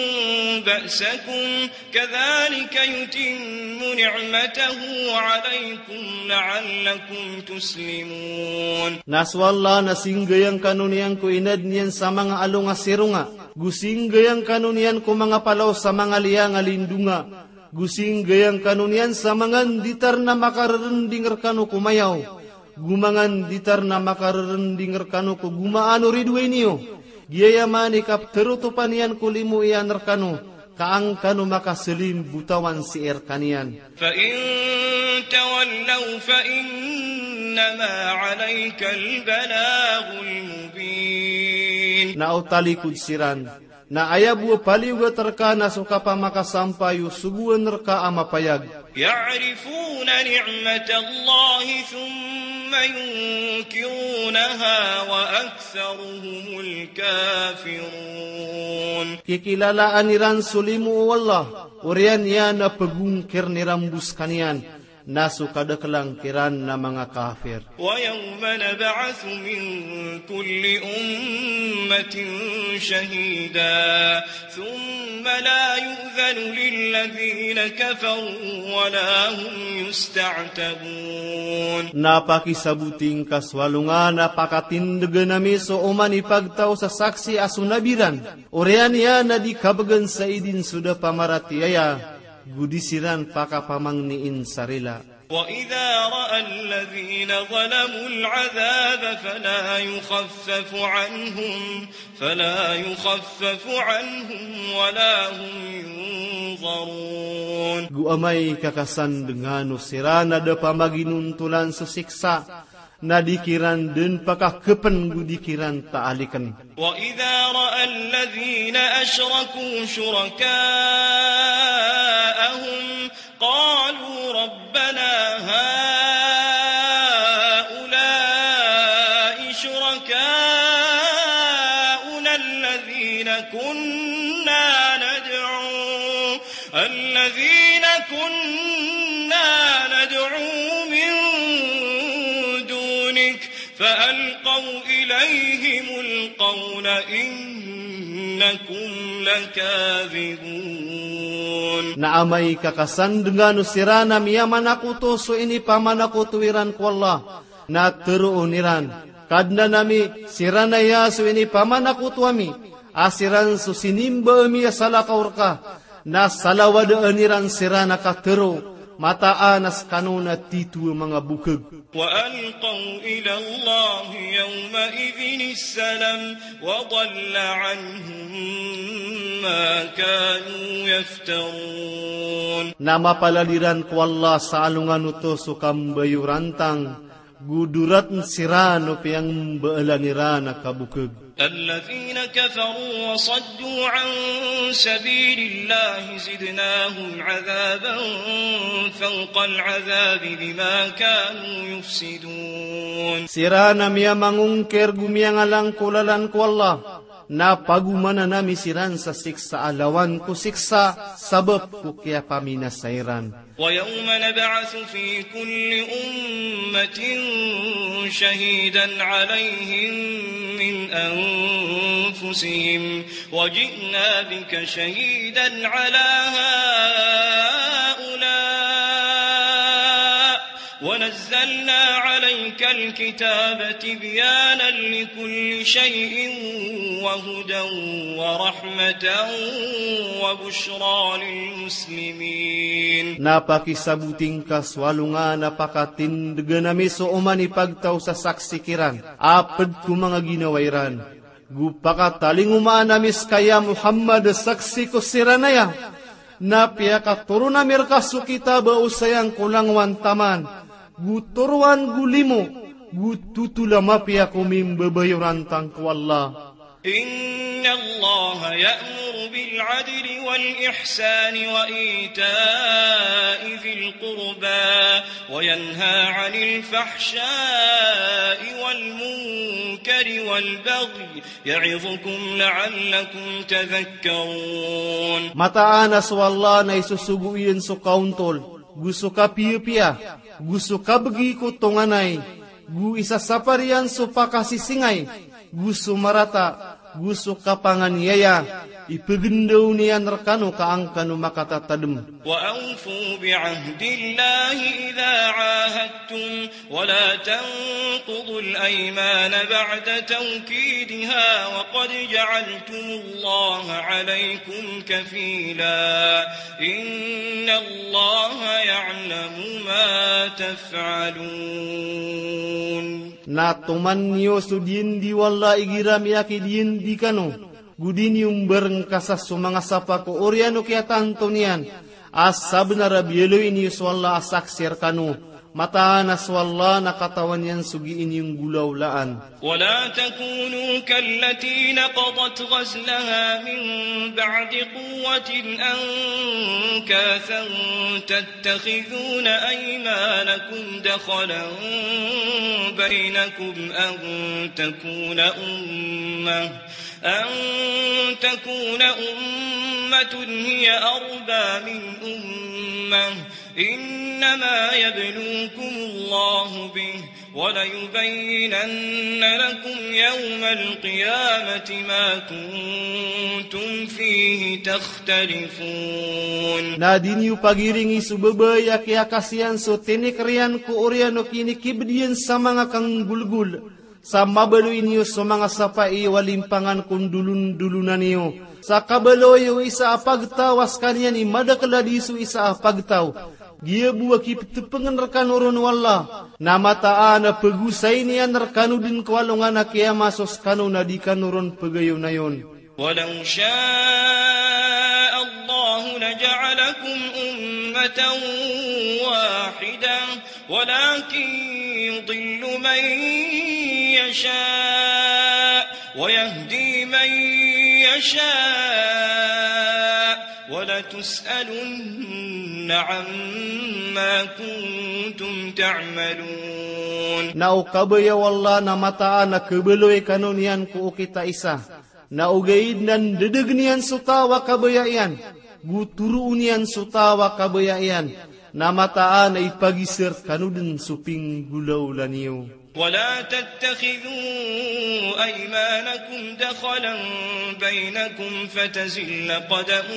بأسكم كذلك يتم نعمته عليكم لعلكم تسلمون. Na so Allah na singgayang kano niyan ko inadn iyan sa manga along a sironga, go singgayang kano niyan ko manga palaw sa manga liyang a lindonga, go singgayang kano niyan sa manga nditar na makarerending rkano ko mayaw, go manga nditar na makarerending rkano ko gomaan o ridoay niyo. Giyaya man i kapterotopan iyan ko limo iyan rkano, ka an kano makaselimbotawan sii rkaniyan. فإن تولوا فإنما عليك البلاغ المبين. Na o talikod siran, na aya bo a paliyogat rka na so kapamakasampay o sogoan rka a mapayag. يعرفون نعمة الله ثم ينكرونها وأكثرهم الكافرون. Kikilalaan iran so limo o Allah, oriyan iyan a pegongkirn iran bo skaniyan, na so kadaklan kiran na manga kafir. ويوم نبعث من كل أمة شهيدا ثم لا يؤذن للذين كفروا ولا هم يستعتبون. Na pakisaboti ngka so alongan a pakatindegen ami so oman i pagtaw sa saksi a so nabi ran, oriyan iyan a di kabegan sa idin so da pamaratiyaya, go di siran pakapamangniin sa rila. وإذا رأى الذين ظلموا العذاب فلا يخفف عنهم، فلا يخفف عنهم ولا هم ينظرون. Go amay ka kasandengano siran a da pamaginontolan so siksa, na di kiran den pakakepen go di kiran taaliken. وإذا رأى الذين أشركوا شركاءهم قالوا ربنا هؤلاء شركاؤنا الذين كنا ندعو، الذين كنا ندعو من دونك فألقوا إليهم القول إنكم لكاذبون. Na amay ka kasandengano siran a miyamanakoto so inipamanakoto iran ko Allah, na teroon iran, Kadnan ami, siran aya so inipamanakoto ami, a siran so sinimba ami a salakaw rka, na salawadaan iran siran a katero, mataan a skano na tito a manga bokeg. وألقوا إلى الله يومئذ السلم وضل عنهم ما كانوا يفترون. Na mapalad iran ko Allah sa alongan oto so kambayorantang, go doratn siran o piyangbaalan iran a kabokeg. الذين كفروا وصدوا عن سبيل الله زدناهم عذابا فوق العذاب بما كانوا يفسدون. Siran a miyamangongkir go miyangalang ko lalan ko Allah, na pagomanan ami siran sa siksa a lawan ko siksa sabap ko kiyapaminasa iran. ويوم نبعث في كل أمة شهيدا عليهم من أنفسهم وجئنا بك شهيدا على ونزلنا عليك الكتاب تبيانا لكل شيء وهدى ورحمة وبشرى للمسلمين. Na pakisaboti ngka so alongan a pakatindgan ami so oman i pagtaw sa saksi kiran, a pd ko manga ginawa iran. Go pakatalingomaan ami ska ya Muhammad saksi ko siran aya. Na piyakatoron ami rka so kitab a osayang ko langowan taman, go toroan go limo, go totol a mapiya ko mimbabayoran tangko Allah. إن الله يأمر بالعدل والإحسان وإيتاء ذي القربى وينهى عن الفحشاء والمنكر والبغي يعظكم لعلكم تذكرون. Mataan a so Allah na isosogo iyan so kaontol, go so kapiyapiya, go so kabgi ko tonganay, go isasapar iyan so pakasisingay, go so marata, go so kapanganiyaya, ipgndaw niyan rkano ka an kano makatatadm. وأوفوا بعهد الله إذا عاهدتم ولا تنقضوا الأيمان بعد توكيدها وقد جعلتم الله عليكم كفيلا إن الله يعلم ما تفعلون. Na toman niyo so diyandi o Allah igira miyakidiyandi kano, go di niyo mbarngkasa so manga sapa ko oriyan o kiyatanto niyan, a sabnar a biyaloy niyo so Allah a saksi rkano, mataan a so Allah na katawan iyan so gii niyo nggolawlaan. ولا تكونوا كالتي نقضت غزلها من بعد قوة أنكاثا تتخذون أيمانكم دخلا بينكم أن تكون أمة أن تكون أمة هي أربى من أمة إنما يبلوكم الله به وليبينن لكم يوم القيامة ما كنتم فيه تختلفون. Na di niyo pagiringi so babay a kiyakasiyan so tinikr iyan ko oriyan o kinikibd iyan sa manga kanggolgol. Sa mabaloy niyo so manga sapa iyo a limpangan ko ndolondolonan iyo. Sa kabaloy o isa a pagtaw a skaniyan i madakl a di so isa a pagtaw. Giya bo a kiptpngn rkano ron o Allah. Na mataan a pgosayn iyan rkano dn ko alongan a kiyama so skano na di kano ron pgayonayon. ولو شاء الله لجعلكم أمة واحدة ولكن يضل من يشاء ويهدي من يشاء ولتسألن عما كنتم تعملون. Na o kabaya o Allah na mataan a khabaloy kano niyan ko okit a isa. Na ogaid na ndadagn iyan so taw a kabaya iyan, go toroon iyan so taw a kabaya iyan, na mataan a ipagizr kano dn so pinggolawla niyo. ولا تتخذوا أيمانكم دخلا بينكم فتزل قدم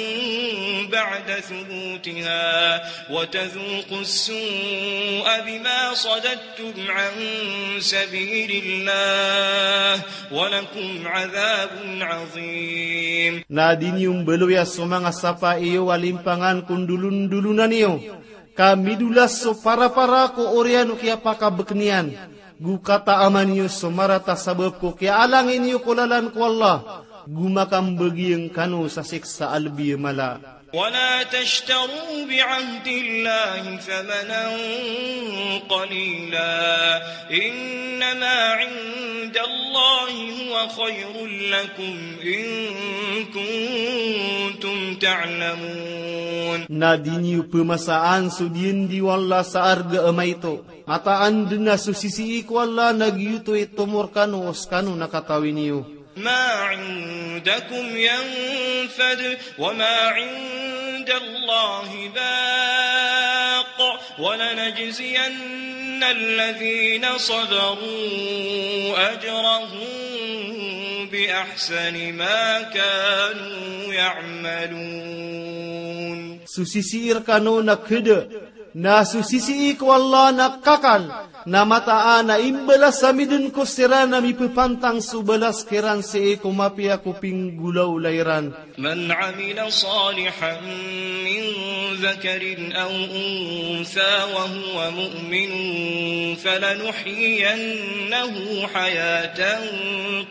بعد ثبوتها وتذوقوا السوء بما صددتم عن سبيل الله ولكم عذاب عظيم. Na di niyo mbaloya so manga sapa iyo a limpangan ko ndolondolonan iyo, ka midolas so parapara ko oriyan o kiyapakabkn iyan, go kataaman iyo so marata sabap ko kiyaalangin iyo ko lalan ko Allah, go makambagiyang kano sa siksa a lbi a mala. ولا تشتروا بعهد الله ثمنا قليلا إنما عند الله هو خير لكم إن كنتم تعلمون. Na di niyo pmasaan so diyandi o Allah sa arga a maito. Mataan dn a so sisii ko Allah na giyoto i tomo rkano o skano na katawi niyo. ما عندكم ينفد وما عند الله باق ولنجزين الذين صبروا أجرهم بأحسن ما كانوا يعملون. So sisii rkano na khada Na so sisii ko Allah na kakal, na mataan a imbalas ami dn ko siran a mipepantang so balas kiran sii ko mapiya ko pinggolawla iran. من عمل صالحا من ذكر أو أنثى وهو مؤمن فلنحيينه حياة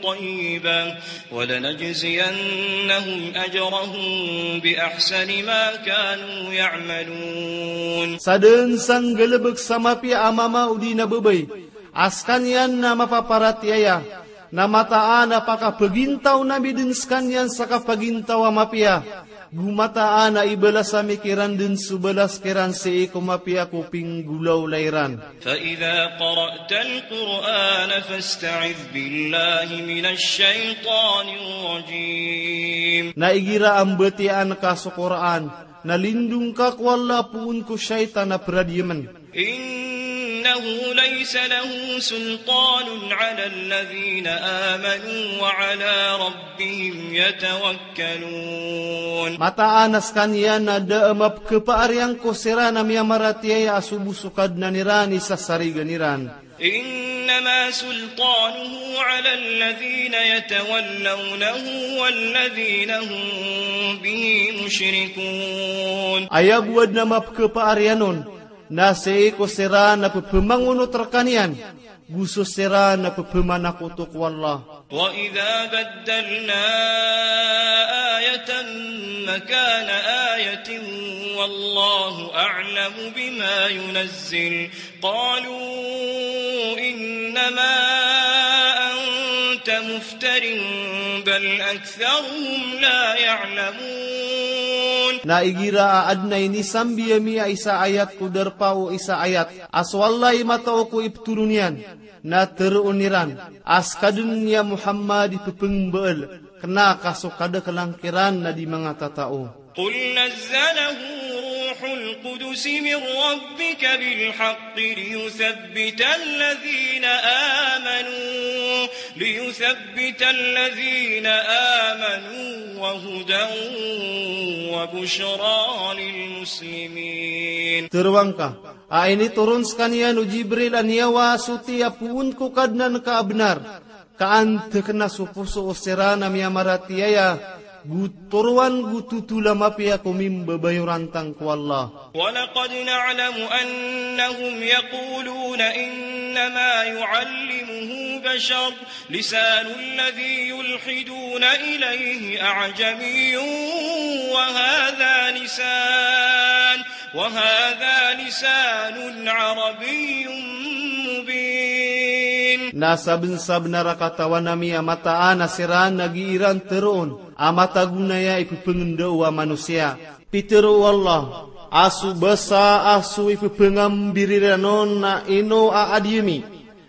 طيبة ولنجزينهم أجرهم بأحسن ما كانوا يعملون. Sadn sa nggalbk sa mapiya a mama odi na babay a skaniyan na mapaparatiyaya, na mataan a pakapagintaw ami dn skaniyan sa kapagintaw a mapiya, go mataan a ibalas ami kiran dn so balas kiran sii ko mapiya ko pinggolawla iran. فإذا قرأت القرآن فاستعذ بالله من الشيطان الرجيم. Na igira a mbatiyaan ka so Qur'an, na lindong ka ko Allah poon ko shaytan a pradiyamen. إنه ليس له سلطان على الذين آمنوا وعلى ربهم يتوكلون. Mataan a skaniyan na da a mapkhapaariyan ko siran a miyamaratiyaya a so bo so Kadnan iran i sasarigan iran. إنما سلطانه على الذين يتولونه والذين هم به مشركون. Aya bo a adn a mapkhapaariyan on na sii ko siran a pphamangonot rkaniyan, go so siran a pphamakoto ko Allah. وإذا بدلنا آية مكان آية والله أعلم بما ينزل قالوا إنما أنت مفتر بل أكثرهم لا يعلمون. Na igira a adn a inisambi ami a isa a ayat ko darpa o isa a ayat a so Allah i matao ko iptoron iyan, na tharoon iran a ska dn, ya Muhammad, i pphangambaal, kna ka so kadaklan kiran na di manga tatao. قل نزله روح القدس من ربك بالحق ليثبت الذين آمنوا، ليثبت الذين آمنوا وهدى وبشرى للمسلمين. Tharoang ka a initoron skaniyan o Jibril a niyawa a soti a poon ko Kadnan ka a bnar, ka antakna so poso o siran a miyamaratiyaya, go toroan go totol a mapiya ko mimbabayorantang ko Allah. ولقد نعلم أنهم يقولون إنما يعلمه بشر، لسان الذي يلحدون إليه أعجمي وهذا لسان وهذا لسان عربي مبين. Na sabnsabnar a katawan ami a mataan a siran a gii ran tharoon a matago na aya i pphangendao a manosiya. Pitharo o Allah a so basa a so i pphangambirira on na ino a adiyami.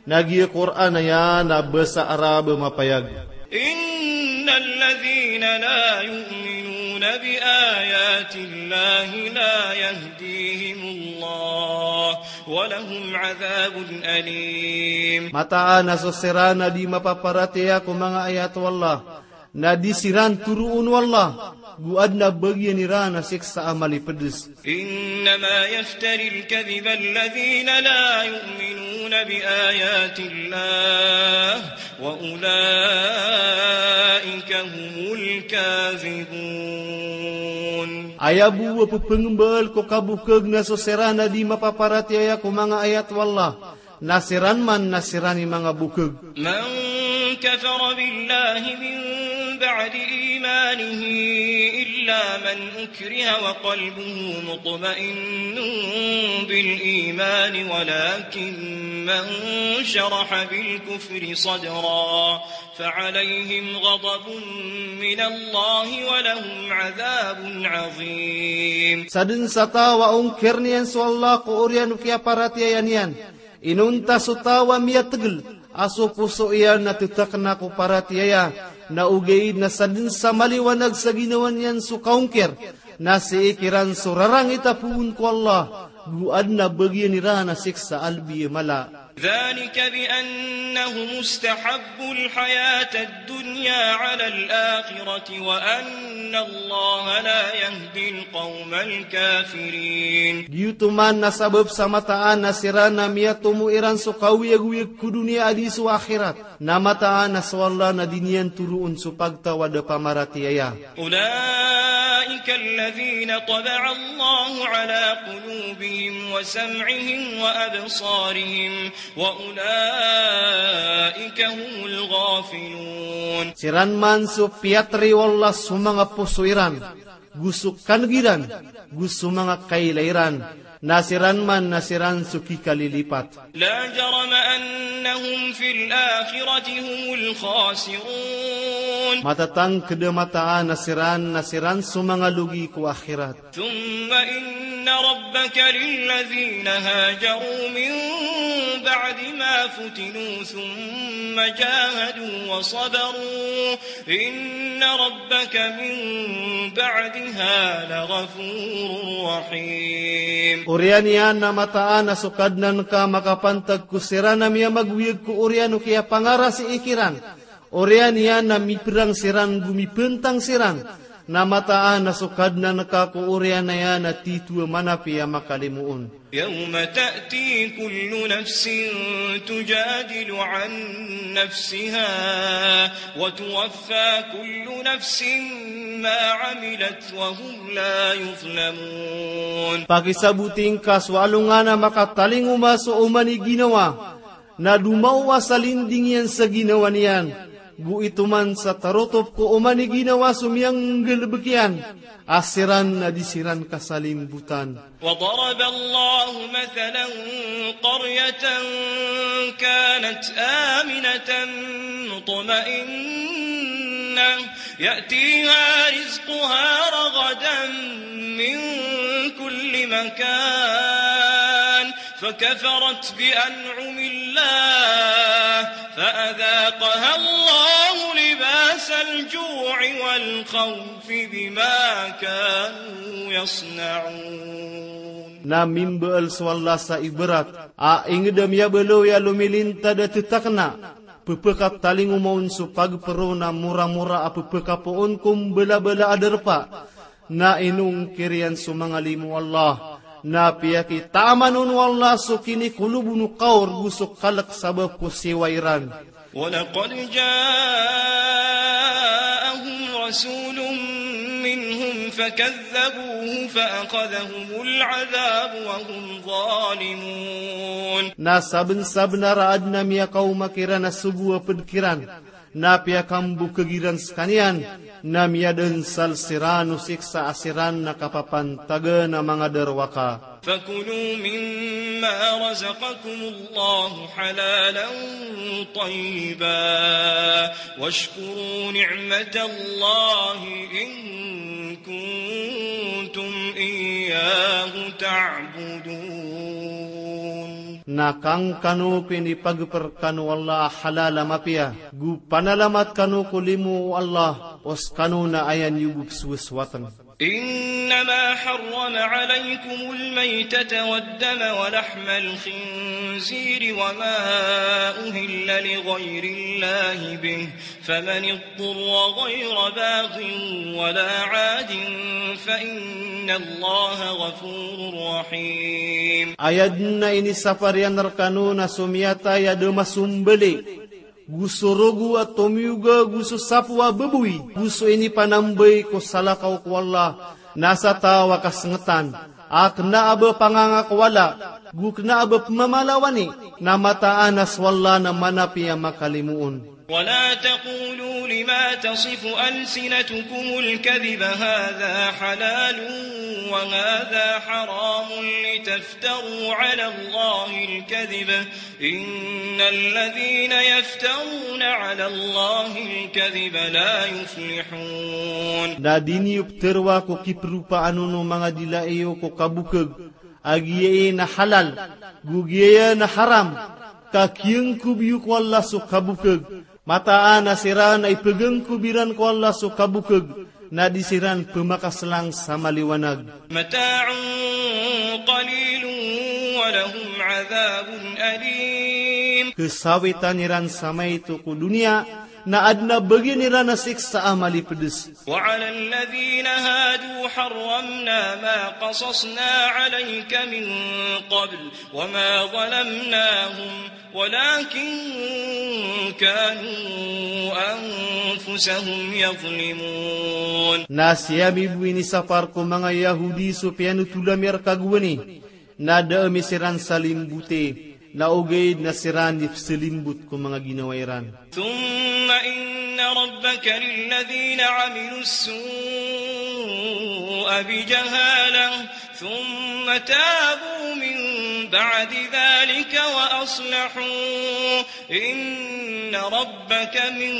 Na giya Qur'an aya na basa Arab a mapayag. إن الذين لا يؤمنون بآيات الله لا يهديهم الله ولهم عذاب أليم. Mataan a so siran a di mapaparatiyaya ko manga ayat o Allah, na di siran toroon o Allah, go adn a bagian iran a siksa a malipds. إنما يفتري الكذب الذين لا يؤمنون بآيات الله وأولئك هم الكاذبون. Aya bo a pphangmbaal ko kabokhag na so siran a di mapaparatiyaya ko manga ayat o Allah, na siran man na siran i manga bokhag. من كفر بالله من بعد إيمانه إلا من أكره وقلبه مطمئن بالإيمان ولكن من شرح بالكفر صدرا فعليهم غضب من الله ولهم عذاب عظيم. Sadn sa taw a ongkirn iyan so Allah ko oriyan o kiyaparatiyaya niyan, inonta so taw a miyatgl a so poso iyan na ttakna ko paratiyaya, na ogaid na sadn sa maliwanag sa ginawa niyan so kaongkir, na sii kiran so rarangit a poon ko Allah, go adn a bagian iran a siksa a lbi a mala. ذلك بأنهم استحبوا الحياة الدنيا على الآخرة وأن إن الله لا يهدي القوم الكافرين. Giyoto man na sabap sa mataan a siran na miyatomo iran so kaoyagoyag ko doniya a di so akhirat. Na mataan a so Allah na di niyan toroon so pagtaw a da pamaratiyaya. أولئك الذين طبع الله على قلوبهم وسمعهم وأبصارهم وأولئك هم الغافلون. Siran man so piyatri o Allah so manga poso iran, go so kaneg iran, go so manga kailay iran, na siran man na siran so kikalilipat. لا جرم أنهم في الآخرة هم الخاسرون. Matatangked a mataan a siran na siran so manga logi ko akhirat. ثم إن ربك للذين هاجروا من بعد ما فتنوا ثم جاهدوا وصبروا إن ربك من بعدها لغفور رحيم. Oriyan iyan na mataan a so Kadnan ka makapantag ko siran a miyamagoyag ko oriyan o kiyapangarasii kiran. Oriyan iyan na miperang siran go mipentang siran, na mataan a so Kadnan ka ko oriyan iyan na tito a manapi a makalimoon. يوم تأتي كل نفس تجادل عن نفسها وتوفى كل نفس ما عملت وهم لا يظلمون. Pakisaboting ka so alongan a makatalingoma so oman i ginawa, na domaowa sa linding iyan sa ginawa niyan, go ito man sa tarotop ko oman i ginawa so miyanggalebek iyan, a siran na di siran kasalimbotan. وضرب الله مثلا قرية كانت آمنة مطمئنة يأتيها رزقها رغدا من كل مكان فكفرت بأنعم الله فأذاقها الله لباس الجوع والخوف بما كانوا يصنعون. Na mimbaal so Allah sa ibarat a inged a miyabaloy a lomilintad a tetakna, pepekatalingoma on so pagpero na moramora a pepekapoon ko mbalabala a darpa. Na inongkir iyan so manga limo o Allah, na piyakitaaman on o Allah so kinikolob on o kaor go so kalek sabap ko siwa iran. ولقد جاءهم رسول منهم فكذبوه فأخذهم العذاب وهم ظالمون. Na sabensabenar a aden a miyakaoma kiran a sogo a ped kiran, na piyakambokeg iran sekaniyan, na miyadensal siran o siksa a siran na kapapantagan a manga darowaka. فكلوا مما رزقكم الله حلالا طيبا واشكروا نعمة الله إن كنتم إياه تعبدون. Na kangkano ko inipageper kano o Allah a halal a mapiya, go panalamat kano ko limo o Allah, o sekano na aya niyo bo pesowasowatn. إنما حرم عليكم الميتة والدم ولحم الخنزير وما أهل لغير الله به فمن اضطر غير باغ ولا عاد فإن الله غفور رحيم. Aya den a inisapar iyan rekano na so miyatay a da masombali, go so rogo a tomiyoga, go so sapo a baboy, go so inipanambay ko salakaw ko Allah, na sa taw a kasengetan a kena a ba pangangakowala, go kena a ba pemamalawani, na mataan a so Allah na manapi a makalimoon. ولا تقولوا لما تصف ألسنتكم الكذب هذا حلال وهذا حرام لتفتروا على الله الكذب إن الذين يفترون على الله الكذب لا يفلحون. Na di niyo peteroa ko kiperopaan on o manga dila iyo ko kabokeg, a giyai na halal, go giyaya na haram, ka kiyangkob iyo ko Allah so kabokeg. Mataan a siran a ipegangkob iran ko Allah so kabokeg, na di siran pemakaselang sa maliwanag. متاع قليل ولهم عذاب أليم. Kesawitan iran sa maito ko doniya, Na adn a bagian iran a siksa a malipds. وعلى الذين هادوا حرمنا ما قصصنا عليك من قبل وما ظلمناهم ولكن كانوا أنفسهم يظلمون. Na sii ami bo inisapar ko manga Yahudi so piyanothol ami a rk a gowani, na da ami siran salimbote, na ogaid na siran i psalimbot ko manga ginawa iran. ثم إن ربك للذين عملوا السوء بجهالة ثم تابوا من بعد ذلك وأصلحوا إن ربك من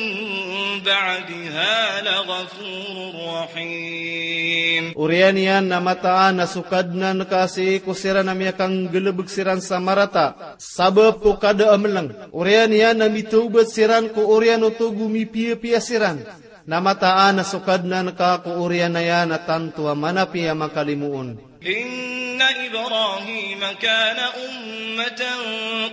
بعدها لغفور رحيم. Oriyan iyan na mataan a so Kadnan ka sii ko siran a miyakanggalbk siran sa marata sabap ko kada a mlng. Oriyan iyan na mitawbat siran ko oriyan oto go mipiyapiya siran. Na mataan a so Kadnan ka ko oriyan iyan na tanto a manapiya a makalimoon. إن إبراهيم كان أمة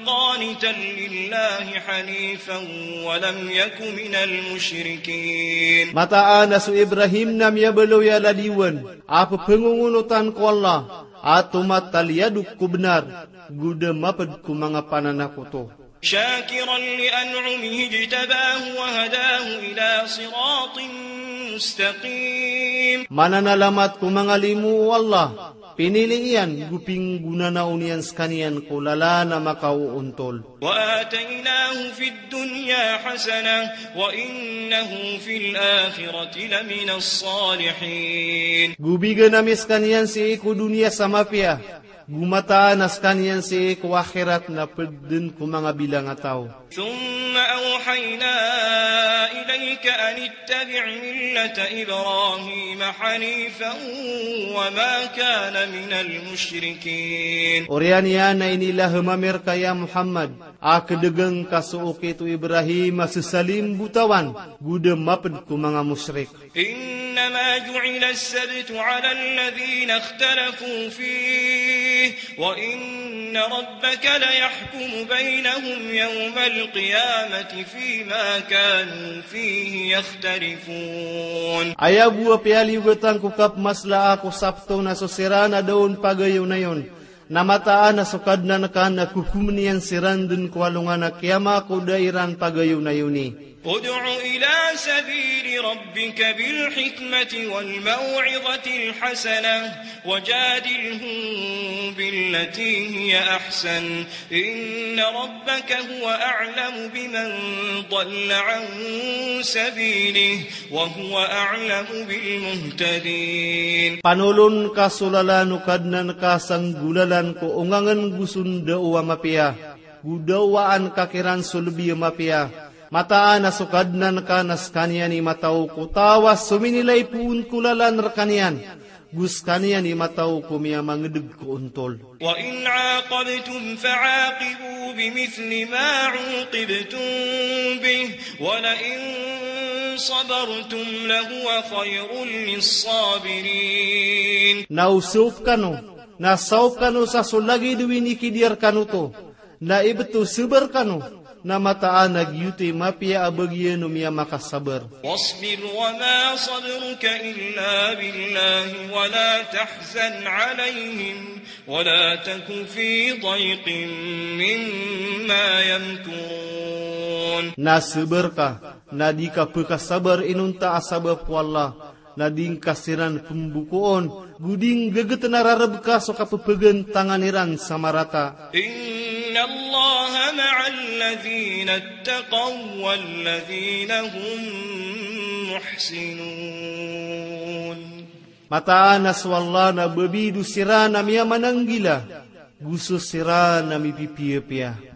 قانتا لله حنيفا ولم يك من المشركين. Mataan a so Ibrahim na miyabaloy a lalayon a pphangongoonotan ko Allah a tomataliyadok ko bnar, go da mapd ko manga pananakoto. شاكرا لأنعمه اجتباه وهداه إلى صراط مستقيم. Mananalamat ko manga limo o Allah, pinili iyan, go pinggonanaon iyan skaniyan ko lalan a makaoontol. وآتيناه في الدنيا حسنة وإنه في الآخرة لمن الصالحين. Go bigan ami skaniyan sii ko doniya sa mapiya, go mataan a skaniyan sii ko akhirat na pd dn ko manga bilang a taw. ثم أوحينا إليك أن اتبع ملة إبراهيم حنيفا وما كان من المشركين. Oriyan iyan na inilahm ami rka ya Muhammad a kdgn ka so okit o Ibrahim a ssalimbotawan, go da mapd ko manga mushrik. إنما جعل السبت على الذين اختلفوا فيه وإن ربك ليحكم بينهم يوم القيامة فيما كانوا فيه يختلفون. Aya bo a piyaliyogatan ko kapmaslaa ko Sabto na so siran a da on pagayonayon. Na mataan a so Kadnan ka na kokomn iyan siran dn ko alongan a kiyama ko da iran pagayonayoni. ادع إلى سبيل ربك بالحكمة والموعظة الحسنة وجادلهم بالتي هي أحسن إن ربك هو أعلم بمن ضل عن سبيله وهو أعلم بالمهتدين. Panolon ka so lalan o Kadnan ka sa nggolalan ko ongangn go so ndaw a mapiya, go dawaan ka kiran so lbi a mapiya. Mataan a so Kadnan ka na skaniyan i mataw ko taw a sominilay poon ko lalan rkaniyan, go skaniyan i mataw ko miyamangdg ko ontol. وإن عاقبتم فعاقبوا بمثل ما عوقبتم به ولئن صبرتم لهو خير للصابرين. Na o saop kano, na saop kano sa so lagid o inikidiya rkano oto, na ibt o sabar kano, na mataan a giyoto i mapiya a bagian o miyamakasabr. واصبر وما صبرك إلا بالله ولا تحزن عليهم ولا تك في ضيق مما يمكرون. Na sabar ka, na di ka pkasabr inonta a sabap ko Allah, na di ngka siran pmbokoon, go di ngggt na rarb ka so kapphgantangan iran sa marata. إن الله مع الذين اتقوا والذين هم محسنون. Mataan a so Allah na babid o siran a miyamananggila, go so siran a mipipiyapiya.